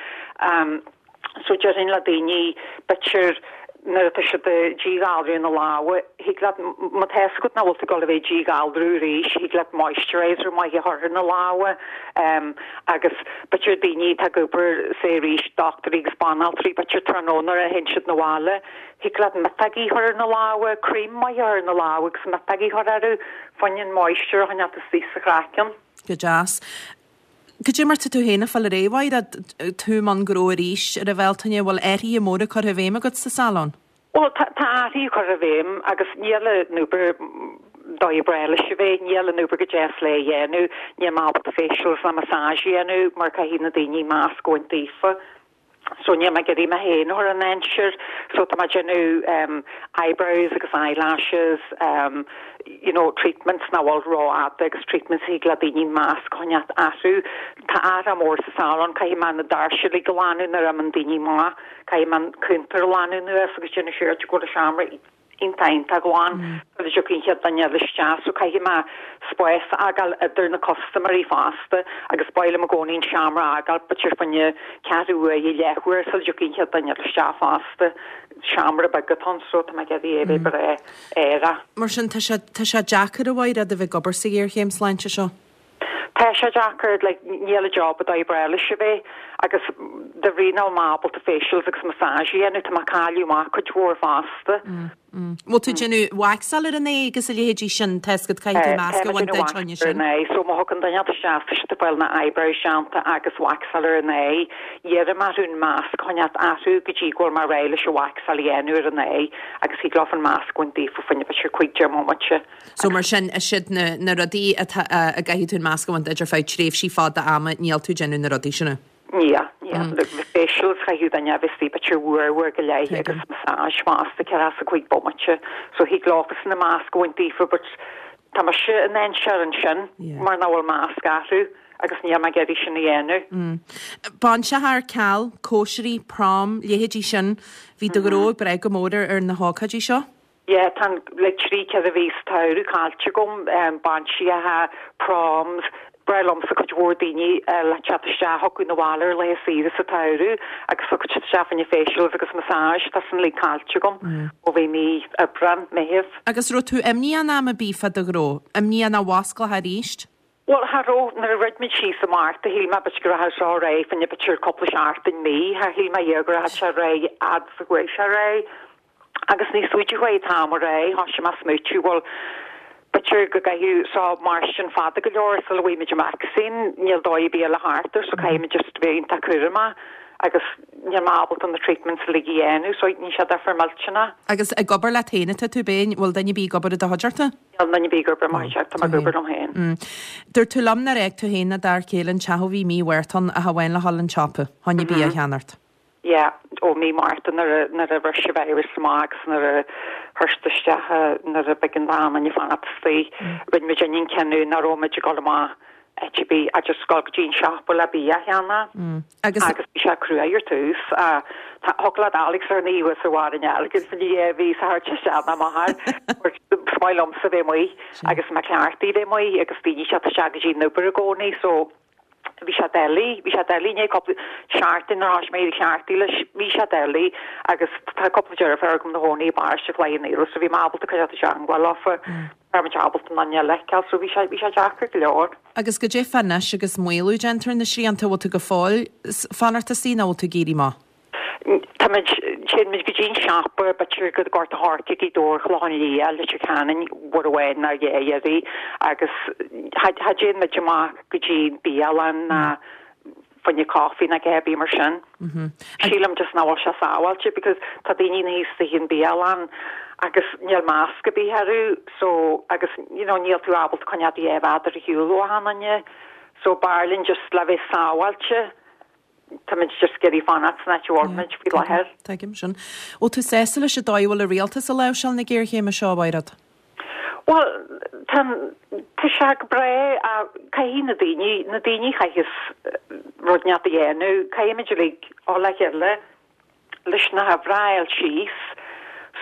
So déarfainn le daoine b'fhéidir nuair atá siad ag díghalrú na lámha, thig leat, má tá fhios agat nach bhfuil tú ag dul a bheith ag díghalrú arís, thig leat moisturizer maith a chur ar na lámha agus b'fhéidir daoine atá ag obair say arís, dochtúirí agus banaltraí, b'fhéidir tráthnóna nuair a théann siad 'na bhaile, Thig leat miotógaí a chur ar na lámha, cream maith a chur ar na lámha agus miotógaí a chur orthu, fá choinne an moisture a choinneáilt istigh sa chraiceann. Go deas. Goidé mar tá tú féin ag fáil ar aghaidh, a Mhaighread, tú i mbun gnó arís ar an Bhealtaine, bhfuil athruithe móra curtha i bhfeidhm agat sa salon? Bhuel, tá athruithe curtha i bhfeidhm agus níl an obair dóigh ba bhreá leis a bheith, níl an obair go deas le dhéanamh, níl mé ábalta facials ná massage a dhéanamh mar caithfidh na daoine masc a bhaint daofa. So níl mé ag iarraidh mé féin a chur i ndainséar. So tá mé ag déanamh um eyebrows agus eyelashes, um you know treatments nach bhfuil rófhada agus treatments a thig le daoine masc a choinneáilt orthu. Tá athrú mór sa salon, caithfidh mé na doirse uilig a ghlanadh nuair a imíonn daoine amach, caithfidh mé an cuntar a ghlanadh anuas agus déanamh siúr go bhfuil an seomra iontach iontach glan sula dtiocfaidh an chéad duine eile isteach so caithfidh mé spás a fhágáil idir na custaiméirí fosta agus ba mhaith liom i gcónaí an seomra a fhágáil b'fhéidir fá choinne ceathrú uaire, leathuair sula dtiocfaidh an chéad duine eile isteach fosta. Seomra beag atá ann so tá mé ag iarraidh é a bheith breá aerach. Mar sin tá sé tá sé deacair a Mhaighread a bheith ag obair sa ghéarchéim sláinte seo. Tá sé deacair, like, níl an job an dóigh ba bhreá leis a bheith agus de bhrí nach bhfuil mé ábalta facials agus massage a dhéanamh, tá mé ag cailleadh amach cuid mhór fosta. Bhfuil tú ag déanamh waxáil ar an aghaidh agus a leithéidí sin, tá fhios agat caithfidh tú masc a bhaint duit fá choinne sin. So má thagann duine isteach tá siad ag fáil na eyebrows déanta agus waxáil ar an aghaidh, iarraim orthu an masc a choinneáilt orthu go dtí go bhfuil mé réidh leis an waxáil a dhéanamh ar an aghaidh agus thig leofa an masc a bhaint daofa fá choinne b'fhéidir cúig deich mbomaite. So mar sin, is iad na, na rudaí atá, a gcaithfidh tú an masc a bhaint duit ar feadh tréimhsí fada ama, níl tú ag déanamh na rudaí sin. Níl, níl. The facials chaithfeadh duine a bheith istigh b'fhéidir uair, uair go leith agus massage fosta, ceathracha is a cúig bomaite. So thig leofasan an masc a bhaint daofa but tá mise i ndainséar ansin mar nach bhfuil masc orthu agus níl mé ag iarraidh sin a dhéanamh. Bainseacha ar ceal, cóisirí, prom, leithéidí sin, bhí do ghnó ag brath go mór ar na hócáidí seo? Yeah, tá an like trí ceithre mhí sa tsamhradh caillte agam, bainseacha, proms, breá liomsa cuid mhór daoine le teacht isteach chucu 'na bhaile ar laetha saoire sa tsamhradh agus thug siad isteach fá choinne facials agus massage, tá san uilig caillte agam ó bhí mí Aibreán, Meitheamh. Agus raibh tú imníoch in am ar bith fá do ghnó? Imníoch nach bhfosclófá arís? Bhuel, cha raibh, nuair a dhruid muid síos i Márta, shíl mé b'fhéidir go rachadh seo ar aghaidh fá choinne b'fhéidir cúpla seachtain, mí, char shíl mé riamh go rachadh sé ar aghaidh fhad is a chuaigh sé ar aghaidh. Agus níos faide a chuaigh an t-am ar aghaidh, thoisigh mé ag smaoitiú, bhuel, b'fhéidir go gcaithfidh seo mairstin fada go leor sula bhfaighimid an vacsaín, níl dóigh ar bith eile thart air so caithfimid just a bheith iontach cúramach agus níl mé ábalta na treatments uilig a dhéanamh so níl sé deifir millteanach. Agus ag obair leat féin atá tú, b'ea? Bhfuil duine ar bith ag obair i do chuideachta? Níl duine ar bith ag obair i mo chuideachta, tá mé ag obair liom féin. Dúirt tú liom nár fhág tú féin ná d'fhear céile an teach ó bhí mí Mhárta ann ach amháin le dhul an tsiopa, fá choinne bia a cheannacht. Yeah, ó mí Márta nuair a nuair a bhris an virus amach agus nuair a chuir isteach nuair a b'éigean d'achan duine fanacht istigh, rinne muid an cinneadh nach raibh muid ag dul amach áit ar bith ach just dul go dtí an siopa le bia a cheannach. Agus. Agus bhí sé cruaidh ar tús. Tá thug leat Alex ar an thuas ar bharr an airgid fá choinne dhá mhí sa thabhairt isteach ná m'athair. Is maith liomsa bheith amuigh agus mé cleachtaithe bheith amuigh agus daoine ag teacht isteach go dtí an obair i gcónaí so Bhí sé doiligh, bhí sé doiligh, i ndiaidh cúpla seachtain nuair a thosaigh mé ag cleachtadh leis, bhí sé doiligh agus tá cúpla deirfiúr agam ina gcónaí i bparóiste Chloich Cheann Fhaola so bhí mé ábalta coinneáil i dteangmháil leofa, raibh muid ábalta an duine a fheiceáil so bhí sé, bhí sé deacair go leor. Agus goidé fá anois agus maolú déanta ar na srianta, bhfuil tú go fóill fanacht istigh nó bhfuil tú ag éirí amach? Táimid, téann muid go dtí an siopa, b'fhéidir go Gort a' Choirce, Gaoth Dobhair, Clochán Liath, Leitir Ceanainn, uair amháin nó dhá iarraidh agus cha dtéann muid amach go dtí bialann ná fá choinne coffee ná a dhath ar bith mar sin. Sílim just nach bhfuil sé sábháilte because tá daoine ina shuí istigh in bialann agus níl masc ar bith orthu so agus you know níl tú ábalta coinneáil do dhá mhéadar ar shiúl ó achan duine so b'fhearr linn just le bheith sábháilte. Táimid just ag iarraidh fanacht san áit a bhfuil muid faoi láthair. Tuigim sin. Bhfuil tú sásta leis an dóigh a bhfuil an rialtas ag láimhseáil na géarchéime seo, a Mhaighread? Bhuel, tá, tá sé go breá ach caithfidh na daoine, na daoine chaitheas rud inteacht a dhéanamh, caithfimid uilig dul le chéile leis na huimhreacha a fháil síos.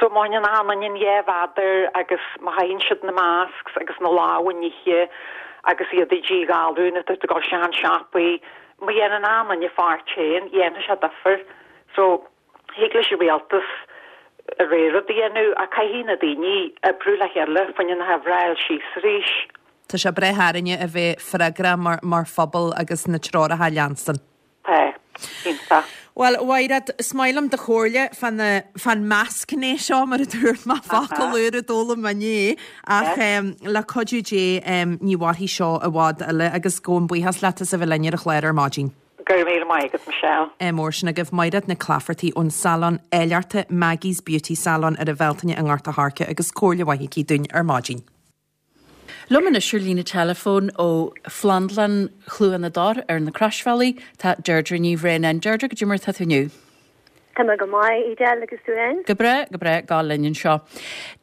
So má théann achan duine an dhá mhéadar agus má chaitheann siad na masks agus na lámha a nithe agus iad ag díghalrú nuair atá siad ag dul isteach an siopaí, má dhéanann achan duine a pháirt féin, dhéanfaidh sé difear. So thig leis an rialtas a rogha rud a dhéanamh ach caithfidh na daoine oibriú le chéile fá choinne na huimhreacha a fháil síos arís. Tá sé breá orainne a bheith freagrach mar mar phobal agus na treoracha a leanstan. Tá. Iontach. Bhuel, a Mhaighread, is maith liom do chomhairle fán fán maskne seo, mar a dúirt mé, focal úr a d'fhoghlaim mé inné, ach le cuidiú Dé ní mhairfidh seo i bhfad eile agus gabhaim buíochas leat as a bheith linn ar an chlár ar maidin. Go raibh míle maith agat, Michelle. Mór sin agaibh Maighread Nic Laifeartaigh ón salon áilleachta Maggie's Beauty Salon ar an Bhealtaine i nGort a' Choirce agus comhairle mhaith aici dúinn ar maidin. Liom anois ar líne teileafóin ó Phlandlann Chluain na dTor ar na Croisbhealaí tá Deirdre Ní Bhraonáin. Deirdre, goidé mar atá tú inniu? Tá mé go maith, Edel, agus tú féin? Go breá, go breá, gabháil linn anseo.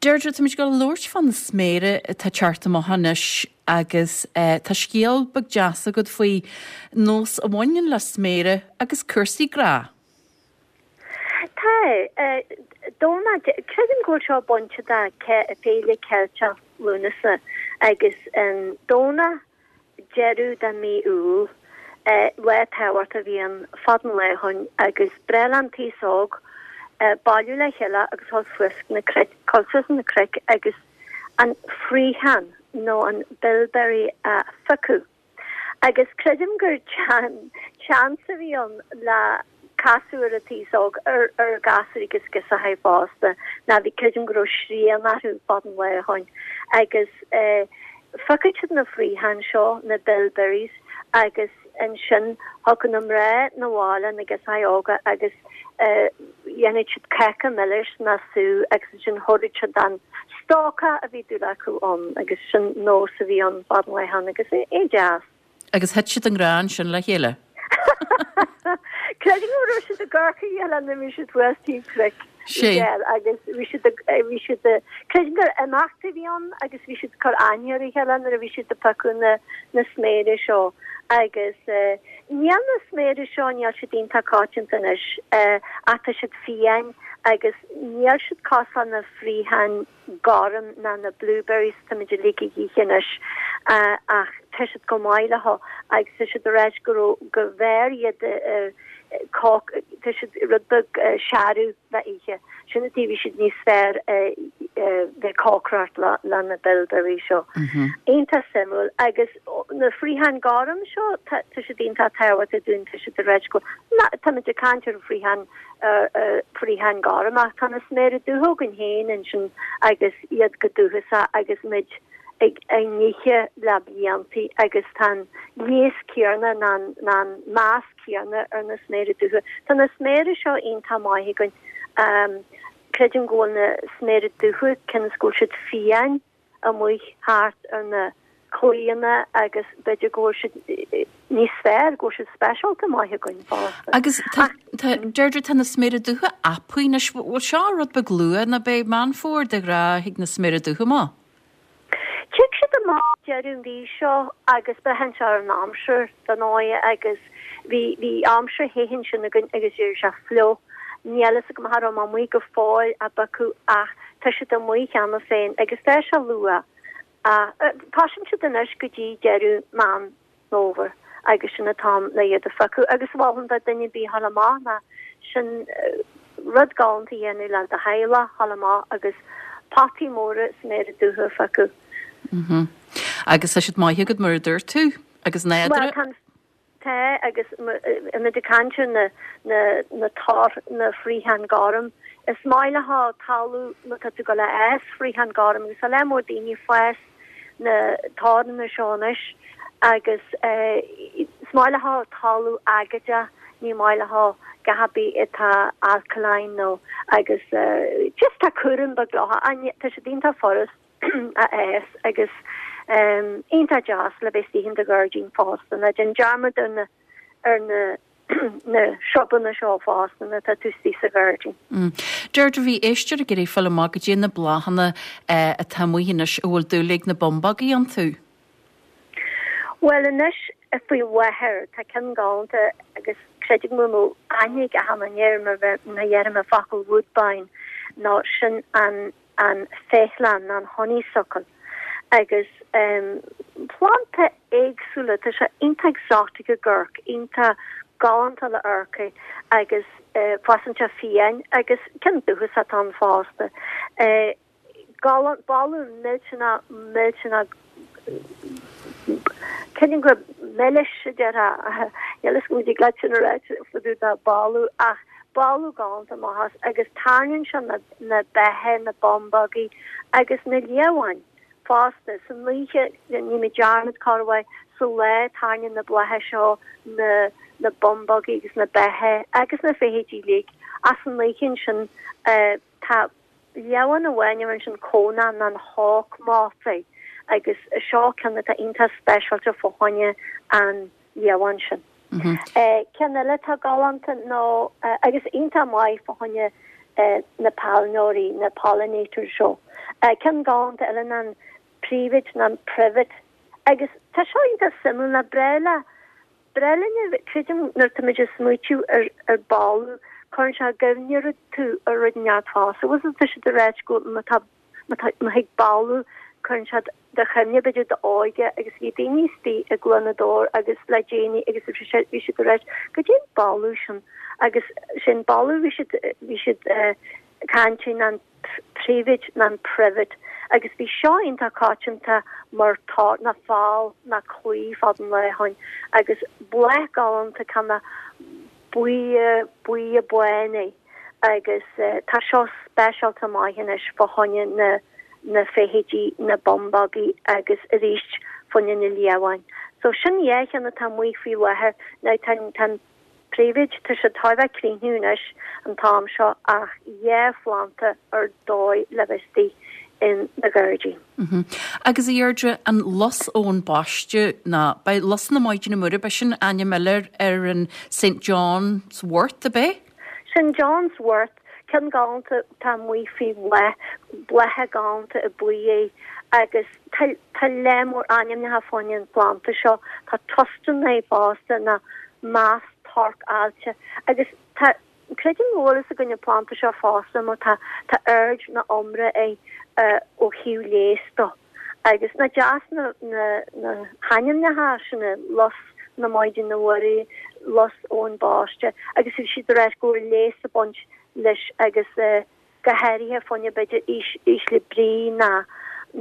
Deirdre, táimid ag dul a labhairt fá na sméara atá ag teacht amach anois agus tá scéal beag deas agat faoi nós a bhaineann le sméara agus cúrsaí grá. Tá. Domhnach, creidim go bhfuil seo bainte de Féile Ceilteach Lúnasa agus an Domhnach deireadh de mí Iúil, lá tábhachtach a bhí ann fad an lae ó shoin agus b'bhreá leis an t-aos óg bailiú le chéile agus dhul suas na cnoic, dhul suas na cnoic agus an fraochán nó an bilberry a phiocadh. Agus creidim gur seans a bhí ann le casadh ar an t-aos óg, ar ar ghasúir agus girseachaí fosta, ná bhí, creidim go raibh srian orthu fad an lae ó shoin. Agus phiocadh siad na fraocháin seo, na bilberries, agus ansin thiocfadh na mná 'na bhaile, na girseachaí óga, agus dhéanadh siad cáca milis ná sú agus ansin thabharfadh siad don stócach a bhí dúil acu ann agus sin nós a bhí ann fad an lae ó shoin agus é deas. Agus thit siad i ngrá ansin le chéile. Creidim go raibh siad ag amharc ar a chéile nuair a bhí siad thuas taobh cnoic Edel agus bhí siad bhí siad creidim gur imeacht a bhí ann agus bhí siad ag cur aithne ar a chéile nuair a bhí siad ag piocadh na na sméara seo agus níl na sméara seo níl siad iontach coitianta anois ach tá siad fiáin agus níl siad cosúil na fraocháin gorm ná na blueberries táimid uilig ag ithe anois ach tá siad go maith leo agus tá siad ag ráit go raibh go mb'fhearr iad cóc tá siad rud beag searbh le ithe sin an tuige bhí siad níos fearr bheith cócaireacht le le na bilberries seo. Iontach suimiúil agus na fraocháin gorm seo tá tá siad iontach tábhachtach dúinn tá siad ag ráit go táimid ag caint ar fraocháin fraocháin gorm ach tá na sméara dubha againn féin ansin agus iad go dúchasach agus muid ag á n-ithe le bliantaí agus tá an leigheas céanna ná an meas céanna ar na sméara dubha. Tá na sméara seo iontach maith againn. Creidim go bhfuil na sméara dubha cionn is go bhfuil siad fiáin amuigh thart ar na claíonna agus b'fhéidir go bhfuil siad níos fearr, go bhfuil siad speisialta maith againn fosta. Agus tá, tá, Deirdre, tá na sméara dubha apaí anois, bhfuil seo rud beag luath nó beidh Meán Fómhair de ghnáth thig na sméara dubha amach? Tig siad amach deireadh an mhí seo agus braitheann sé ar an aimsir dar ndóigh agus bhí, bhí aimsir the ansin againn agus bhí sé fliuch. Níl fhios agam cha raibh mé amuigh go fóill á bpiocadh ach tá siad amuigh cheana féin agus tá sé luath. Ach tosaíonn siad anois go dtí deireadh Meán Fómhair agus sin an t-am le iad a phiocadh agus mholfainn do duine ar bith a ghabháil amach ná sin rud galánta a dhéanamh le do theaghlach a ghabháil amach agus potaí móra sméara dubha a phiocadh. Mhm. Agus tá siad maith agat mar a dúirt tú agus nádúrtha. Bhuel, tá agus muid ag caint ar na na na tor na fraochán gorm. Is maith le talamh má tá tú ag gabháil a fhás fraochán gorm agus tá lear mór daoine ag fás na toranna seo anois agus is maith leo talamh aigéadach, ní maith leo gach ar bith atá alkaline nó agus just tá cúram beag leo, tá siad iontach furast a fhás agus iontach deas le bheith istigh in do ghairdín fosta. Ná déan dearmad ar na ar na na srubanna seo fosta nuair atá tú istigh sa ghairdín. Deirdre, bhí éisteoir ag iarraidh fáil amach goidé na bláthanna atá amuigh anois a bhfuil dúil ag na bumbógaí iontu. Bhuel anois faoi láthair tá ceann galánta agus creidim go mbeadh aithne ag achan duine air mar bheith má dheirim an focal woodbine nó sin an an féithleann nó an honeysuckle agus planda éagsúla tá sé iontach exotic ag amharc iontach galánta le amharc é agus fásann sé fiáin agus ceann dúchasach atá ann fosta. Galán boladh millteanach millteanach creidim gur milis a déarfá níl a fhios agam an dtig leat sin a ráit fá dtaobh de boladh ach boladh galánta amach as agus tarraingíonn sé na na beithe na bumbógaí agus na liamháin fosta. San oíche ní mé dearmad corruair sa lá tarraingíonn na blátha seo na na bumbógaí agus na beithe agus na feithidí uilig ach san oíche ansin tá liamhán amháin a bhfuil sin conán nó an hawk moth é agus seo ceann atá iontach speisialta fá choinne an liamhán sin. Ceann eile atá galánta nó agus iontach maith fá choinne na pailneoirí, na pollinators seo. Ceann galánta eile ná an privet nó an privet agus tá seo iontach suimiúil ná breá le breá linn creidim nuair tá muid ag smaoitiú ar ar boladh cuireann sé i gcuimhne tú ar rud inteacht fosta. Bhfuil tá siad ag ráit go má tá má tá má thig boladh cuireann siad do chuimhne b'fhéidir d'óige agus bhí daoine istigh i gCluain Odhar agus le déanaí agus bhí siad bhí siad ag ráit goidé an boladh sin agus sin boladh bhí siad bhí siad caint an privet nó an privet agus bhí seo iontach coitianta mar tor ná fál ná claí fad an lae ó shin agus bláth galánta ceann buí buí bán é agus tá seo speisialta maith anois fá choinne na na feithidí na bumbógaí agus arís fá choinne na liamháin. So sin dhá cheann atá amuigh faoi láthair now tá tá an privet tá sé chóir a bheith críochnú anois an t-am seo ach dhá phlanda ar dóigh le bheith istigh in do ghairdín. Agus a Dheirdre, an lus Eoin Baiste ná beidh lus na Maighdine Muire, b'é sin ainm eile ar an St John's Wort, ab é? St John's Wort, ceann galánta atá amuigh faoi bhláth, blátha galánta i buí é agus tá tá lear mór ainmneacha fá choinne an phlanda seo, tá tustan é fosta ná meas torc aillte agus tá creidim go bhfuil fhios againn an planda seo fosta mar tá tá aird na iomra é ó thaobh leigheas dó agus nach deas na na na hainmneacha sin lus na Maighdine Muire, lus Eoin Baiste agus bhí siad ag ráit go bhfuil leigheas ag baint leis agus go háirithe fá choinne b'fhéidir ísle brí ná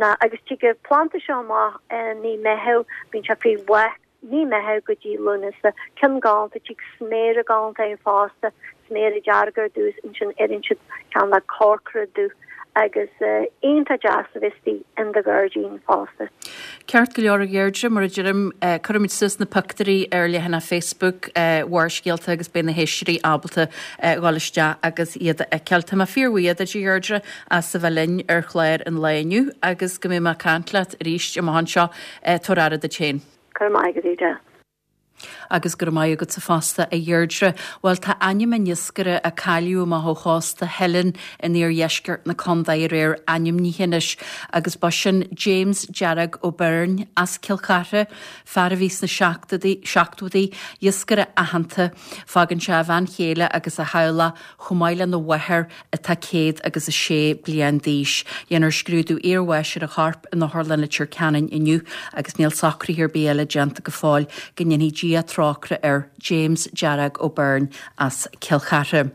ná agus tig an planda seo amach i mí Meitheamh bíonn sé faoi bhláth mí Meitheamh go dtí Lúnasa, ceann galánta, tig sméara galánta air fosta, sméara dearga ar dtús, ansin éiríonn siad cineál le corcra dubh agus iontach deas a bheith istigh in do ghairdín fosta. Ceart go leor a Dheirdre, mar a deirim, cuirfimid suas na pictiúirí ar leathanach Facebook Bharrscéalta agus beidh na héisteoirí ábalta dhul isteach agus iad a fheiceáil. Tá mé fíorbhuíoch duit a Dheirdre as a bheith linn ar chlár an lae inniu agus go mbeidh mé ag caint leat arís amach anseo. Tabhair aire duit féin. Go raibh maith agat, Edel. Agus go raibh maith agatsa fosta a Dheirdre. Bhuel tá ainm an iascaire a cailleadh amach ó chósta Theilinn in iardheisceart na contae aréir ainmnithe anois agus ba sin James Dearg Ó Beirn as Cill Chartha, fear a bhí sna seachtóidí, iascaire aitheanta. Fágann sé a bhean chéile agus a theaghlach chomh maith lena mháthair atá céad agus a sé bliain d'aois. Dhéanfar scrúdú iarbháis ar a chorp in Otharlann Leitir Ceanainn inniu agus níl socruithe ar bith eile déanta go fóill. Go ndéanfaidh Dia trócaire air, James Dearg Ó Beirn as Cill Chartha.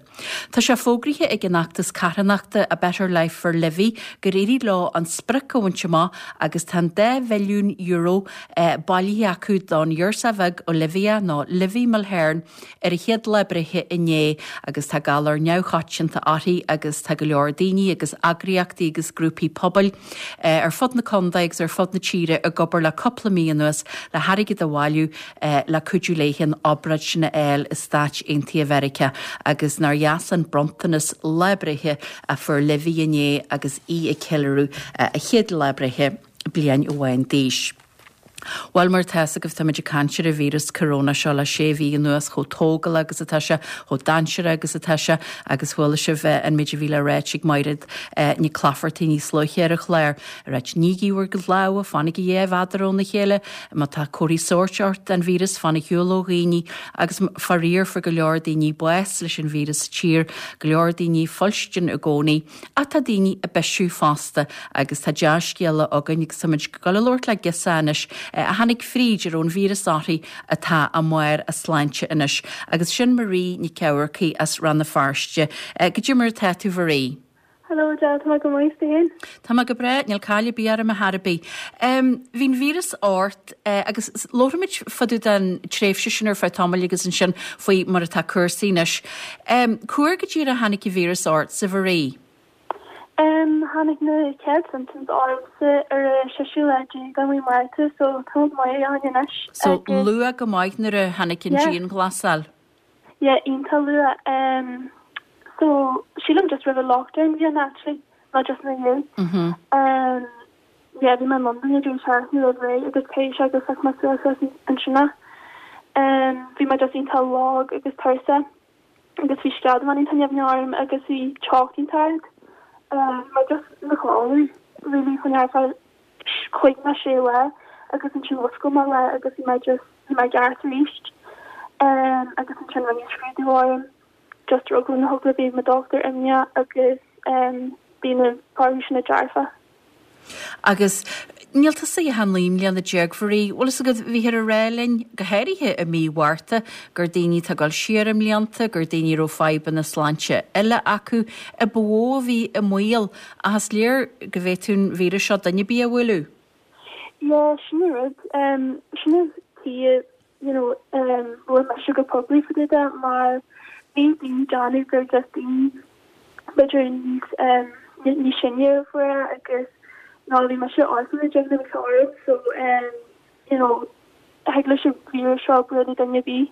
Tá sé fógraithe ag an fheachtas carthanachta A Better Life for Livy gur éirigh leo an sprioc a bhaint amach agus tá an dá mhilliún euro bailithe acu don ghirseach bheag Olivia nó Livy Mulhern ar a chéad lá breithe inné agus tá galar neamhchoitianta uirthi agus tá go leor daoine agus eagraíochtaí agus grúpaí pobail ar fud na contae agus ar fud na tíre ag obair le cúpla mí anuas le hairgead a bhailiú le cuidiú léi an obráid sin a fháil i Stáit Aontaithe Mheiriceá agus nár dheas an bronntanas lá breithe a fuair Livy inné agus í ag ceiliúradh a chéad lá breithe bliain amháin d'aois. Bhuel mar atá fhios agaibh táimid ag caint ar an víreas corona seo le sé mhí anuas chomh tógálach agus atá sé, chomh dainséarach agus atá sé agus chuala sibh an méid a bhí le ráit ag Maighread Nic Laifeartaigh níos luaithe ar an chlár. Ag ráit nígí bhur gcuid lámha, fanaigí dhá mhéadar óna chéile, má tá comharthaí sóirt ort den víreas fan ar shiúl ó dhaoine agus faraor fuair go leor daoine bás leis an víreas sa tír, go leor daoine fuilstin i gcónaí. Ach tá daoine ag bisiú fosta agus tá dea-scéala againn agus táimid ag dul a labhairt le girseach anois a tháinig fríd a raibh an víreas uirthi atá i mbarr a sláinte anois agus sin Marie Nic Eamharcaigh as Rann na Feirste. Goidé mar atá tú Marie? Hello Adele, tá mé go maith, tú féin? Tá mé go breá, níl caill ar bith orm ar chor ar bith. Bhí an víreas ort agus labharfaimid fá dtaobh den tréimhse sin ar feadh tamaill agus ansin faoi mar atá cúrsaí anois. Cá huair go díreach a tháinig an víreas ortsa, Marie? Tháinig na chéad symptoms ormsa ar an seisiú lá déag de mhí Márta so tá maith ann anois. So luath go maith nuair a tháinig an dianghlasáil? Yeah, iontach luath. Um, so sílim just roimh an lockdown bhí an actually, not just ina dhiaidh. Mm-hmm. Um, yeah, bhí mé in Londain ag deireadh seachtaine roimh ré agus théis agus phioc mé suas ansin é. Um, bhí mé just iontach lag agus tuirseach. Agus bhí sceadamán iontach nimhneach orm agus bhí teocht iontach ard. Bhí mé just i mo chodladh really chun ar feadh cúig nó sé lá agus ansin mhúscail mé lá agus bhí mé just bhí mé i gceart arís. Agus ansin rinneadh scrúdú orm just ar eagla na heagla bhí mo dochtúir imníoch agus bhí na torthaí sin dearfach. Agus níl tusa ach naoi mbliana déag Mharie, bhfuil fhios agat, bhíthear ag rá linn, go háirithe i mí Mhárta, gur daoine atá ag dul siar i mblianta, gur daoine a raibh fadhbanna sláinte eile acu, a ba mhó a bhí i mbaol, ach is léir go bhféadfadh an víreas seo duine ar bith a bhualadh. Yeah, sin an rud. Sin an tuige, you know, labhair mise go poiblí faoi de mar bhí daoine ag déanamh gur just daoine b'fhéidir níos níos sine a fuair é agus ná bhí mise ocht mbliana déag nuair a bhí sé orm so you know thig leis an víreas seo bualadh duine ar bith.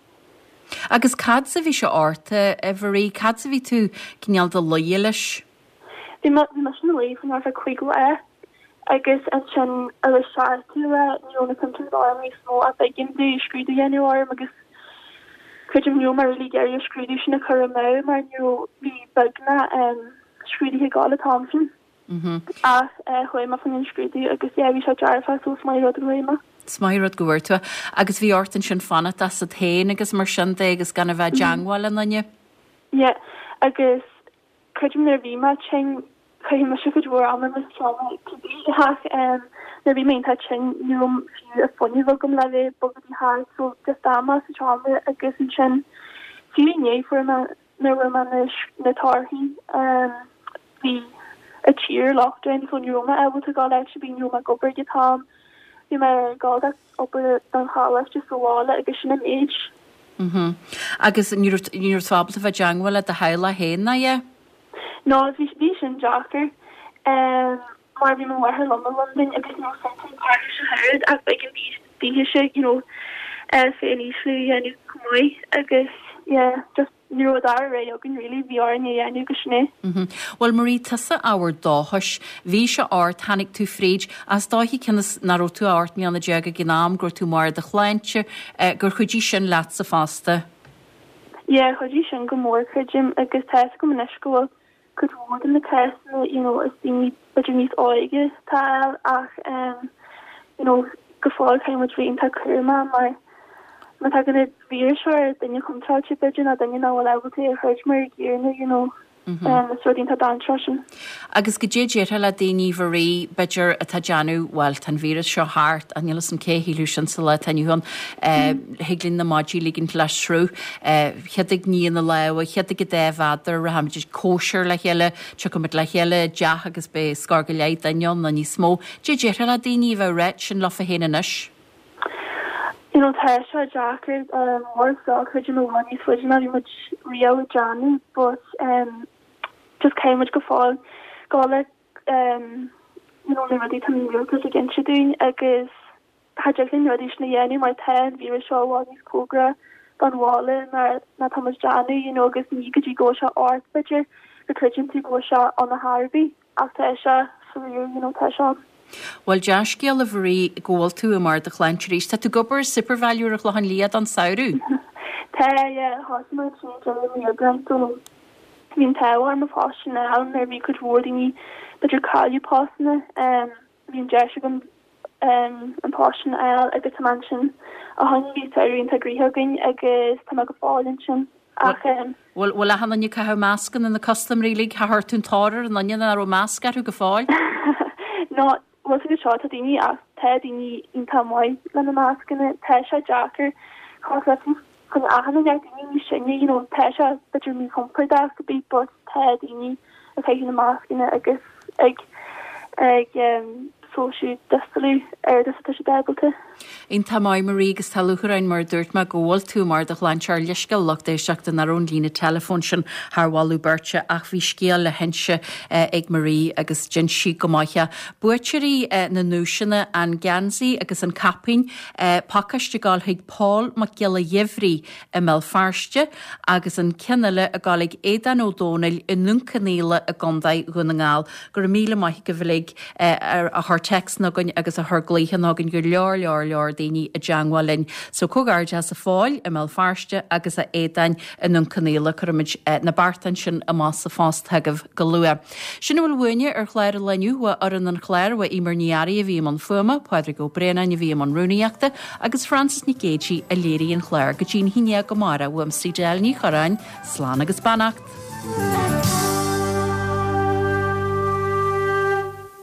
Agus cad as a bhí sé ort, a Mharie, cad as a bhí tú cineál i do luí leis? Bhí mé bhí mise ina luí faoi ar feadh cúig lá agus ansin ar an seachtú lá ní raibh na symptoms orm níos mó ach b'éigean domh scrúdú a dhéanamh orm agus creidim ní raibh mé really ag iarraidh an scrúdú sin a chur amú mar ní raibh bhí beagnach scrúduithe ag gabháil an t-am sin. Ach chuaigh mé faoin scrúdú agus yeah bhí sé dearfach so is maith rud go bhfuair mé. Is maith rud go bhfuair tú é. Agus bhí ort ansin fanacht asat féin agus mar sin de agus gan a bheith i dteangmháil le duine? Yeah agus creidim nuair a bhí mé tinn chaith mise cuid mhór ama i mo sheomra cibé ach nuair a bhí mé iontach tinn ní raibh fiú an fuinneamh agam le bheith ag bogadh thart so just d'fhan mé sa seomra agus ansin fiú inné fuair mé nuair a fuair mé na torthaí bhí an tír lockdown so ní raibh mé ábalta dul áit ar bith ní raibh mé ag obair ag an t-am bhí mé ag dul ag obair don choláiste sa bhaile agus sin an méid. Mhm. Agus ní raibh ní raibh tú ábalta bheith i dteangmháil le do theaghlach féin ná ea? No bhí bhí sin deacair um, mar bhí mo mháthair liom i Londain agus ní raibh symptoms uirthi ach oiread ach b'éigean daoithe you know, féin ísliú a dhéanamh chomh maith agus yeah just ní raibh dara rogha againn really bhí orainn é a dhéanamh agus sin é. Bhuel Marie tusa ábhar dóchais, bhí sé ort, tháinig tú fríd, is dóichí cionn is nach raibh tú ach ocht mbliana déag ag an am, go raibh tú i mbarr do shláinte, gur chuidigh sin leatsa fosta. Yeah chuidigh sin go mór creidim agus tá fhios agam anois go bhfuil cuid mhór de na cásanna you know is daoine b'fhéidir níos óige atá ann ach um you know go fóill caithfidh muid bheith iontach cúramach mar má tá an víreas seo ar duine contráilte b'fhéidir ná duine nach bhfuil ábalta é a throid mar a gcéanna you know um is rud iontach dainséarach sin. Agus goidé déarfá le daoine Mharie b'fhéidir atá ag déanamh bhuel tá an víreas seo thart ach níl fhios a'm cé a shílfeadh sin sa lá atá inniu ann thig linn na maidí a ligint le sruth chéad ag ní na lámha chéad ag an dá mhéadar rachaimid ag cóisir le chéile tiocfaimid le chéile i dteach agus beidh scór go leith duine ann nó níos mó. Goidé déarfá le daoine a bheith ag ráit sin leofa féin anois. You know tá sé deacair mar seo creidim i bhfad níos faide ná bhí muid riamh ag déanamh but um just caithfidh muid go fóill go le um you know na rudaí tá an rialtas ag inse dúinn agus tá deich na rudaí sin a dhéanamh mar tá an víreas seo i bhfad níos cóngaraí don bhaile ná ná tá muid déanamh you know agus ní go dtí go bhfuil sé ort b'fhéidir go gcreideann tú go bhfuil sé ann ar chor ar bith ach tá sé fíor you know tá sé ann. Bhuel dea-scéal a Mharie go bhfuil tú i mbarr do shláinte arís. Tá tú ag obair i Supervalu ar an Chlochán Liath don samhradh? Tá yeah thosaigh mé ansin deireadh mí Aibreáin so bhí an t-ádh orm an post sin a fháil nuair a bhí cuid mhór daoine b'fhéidir cailleadh postanna um bhí an deis agam um an post sin a fháil agus tá mé ansin ó shin bhí samhradh iontach gnoitheach againn agus tá mé go fóill ansin ach um Bhfuil bhfuil achan duine ag caitheamh mascanna na custaiméirí uilig chuir tú an tóir ar an duine nach raibh masc orthu go fóill? No bhfuil go seo tá daoine ach tá daoine iontach maith lena mascanna tá sé deacair cos le chun achan duine daoine níos sine you know tá sé b'fhéidir míchompordach go bit but tá daoine ag caitheamh na mascanna agus ag ag um social distancing ar is atá siad ábalta. Iontach maith Marie agus tá lúcháir orainn mar a dúirt mé go bhfuil tú i mbarr do shláinte ár leithscéal lucht éisteachta nach raibh an líne teileafóin sin thar mholadh beirte ach bhí scéal le hinse ag Marie agus d'inis sí go maith é. Buaiteoirí na nduaiseanna an geansaí agus an caipín pacáiste ag gabháil chuig Paul Mac Giolla Gheimhridh i mBéal Feirste agus an ceann eile ag gabháil ag Aodán Ó Dónaill i nDún Cionnaola i gContae Dhún na nGall. Go raibh míle maith agaibh uilig a chuir téacsanna chugainn agus a chuir glaochanna chugainn go leor leor leor daoine i dteagmháil linn. So comhghairdeas a Phóil i mBéal Feirste agus a Aodáin i nDún Cionnaola cuirfimid na beartáin sin amach sa phost chugaibh go luath. Sin a bhfuil uainne ar chlár an lae inniu uaidh fhoireann an chláir uaidh Eimear Ní Fhearraigh a bhí i mbun fuaime, Pádraig Ó Braonáin a bhí i mbun rúnaíochta agus Frances Nic Géadaigh a léirigh an clár go dtí an haon déag amárach uaimse Edel Ní Chorráin, slán agus beannacht.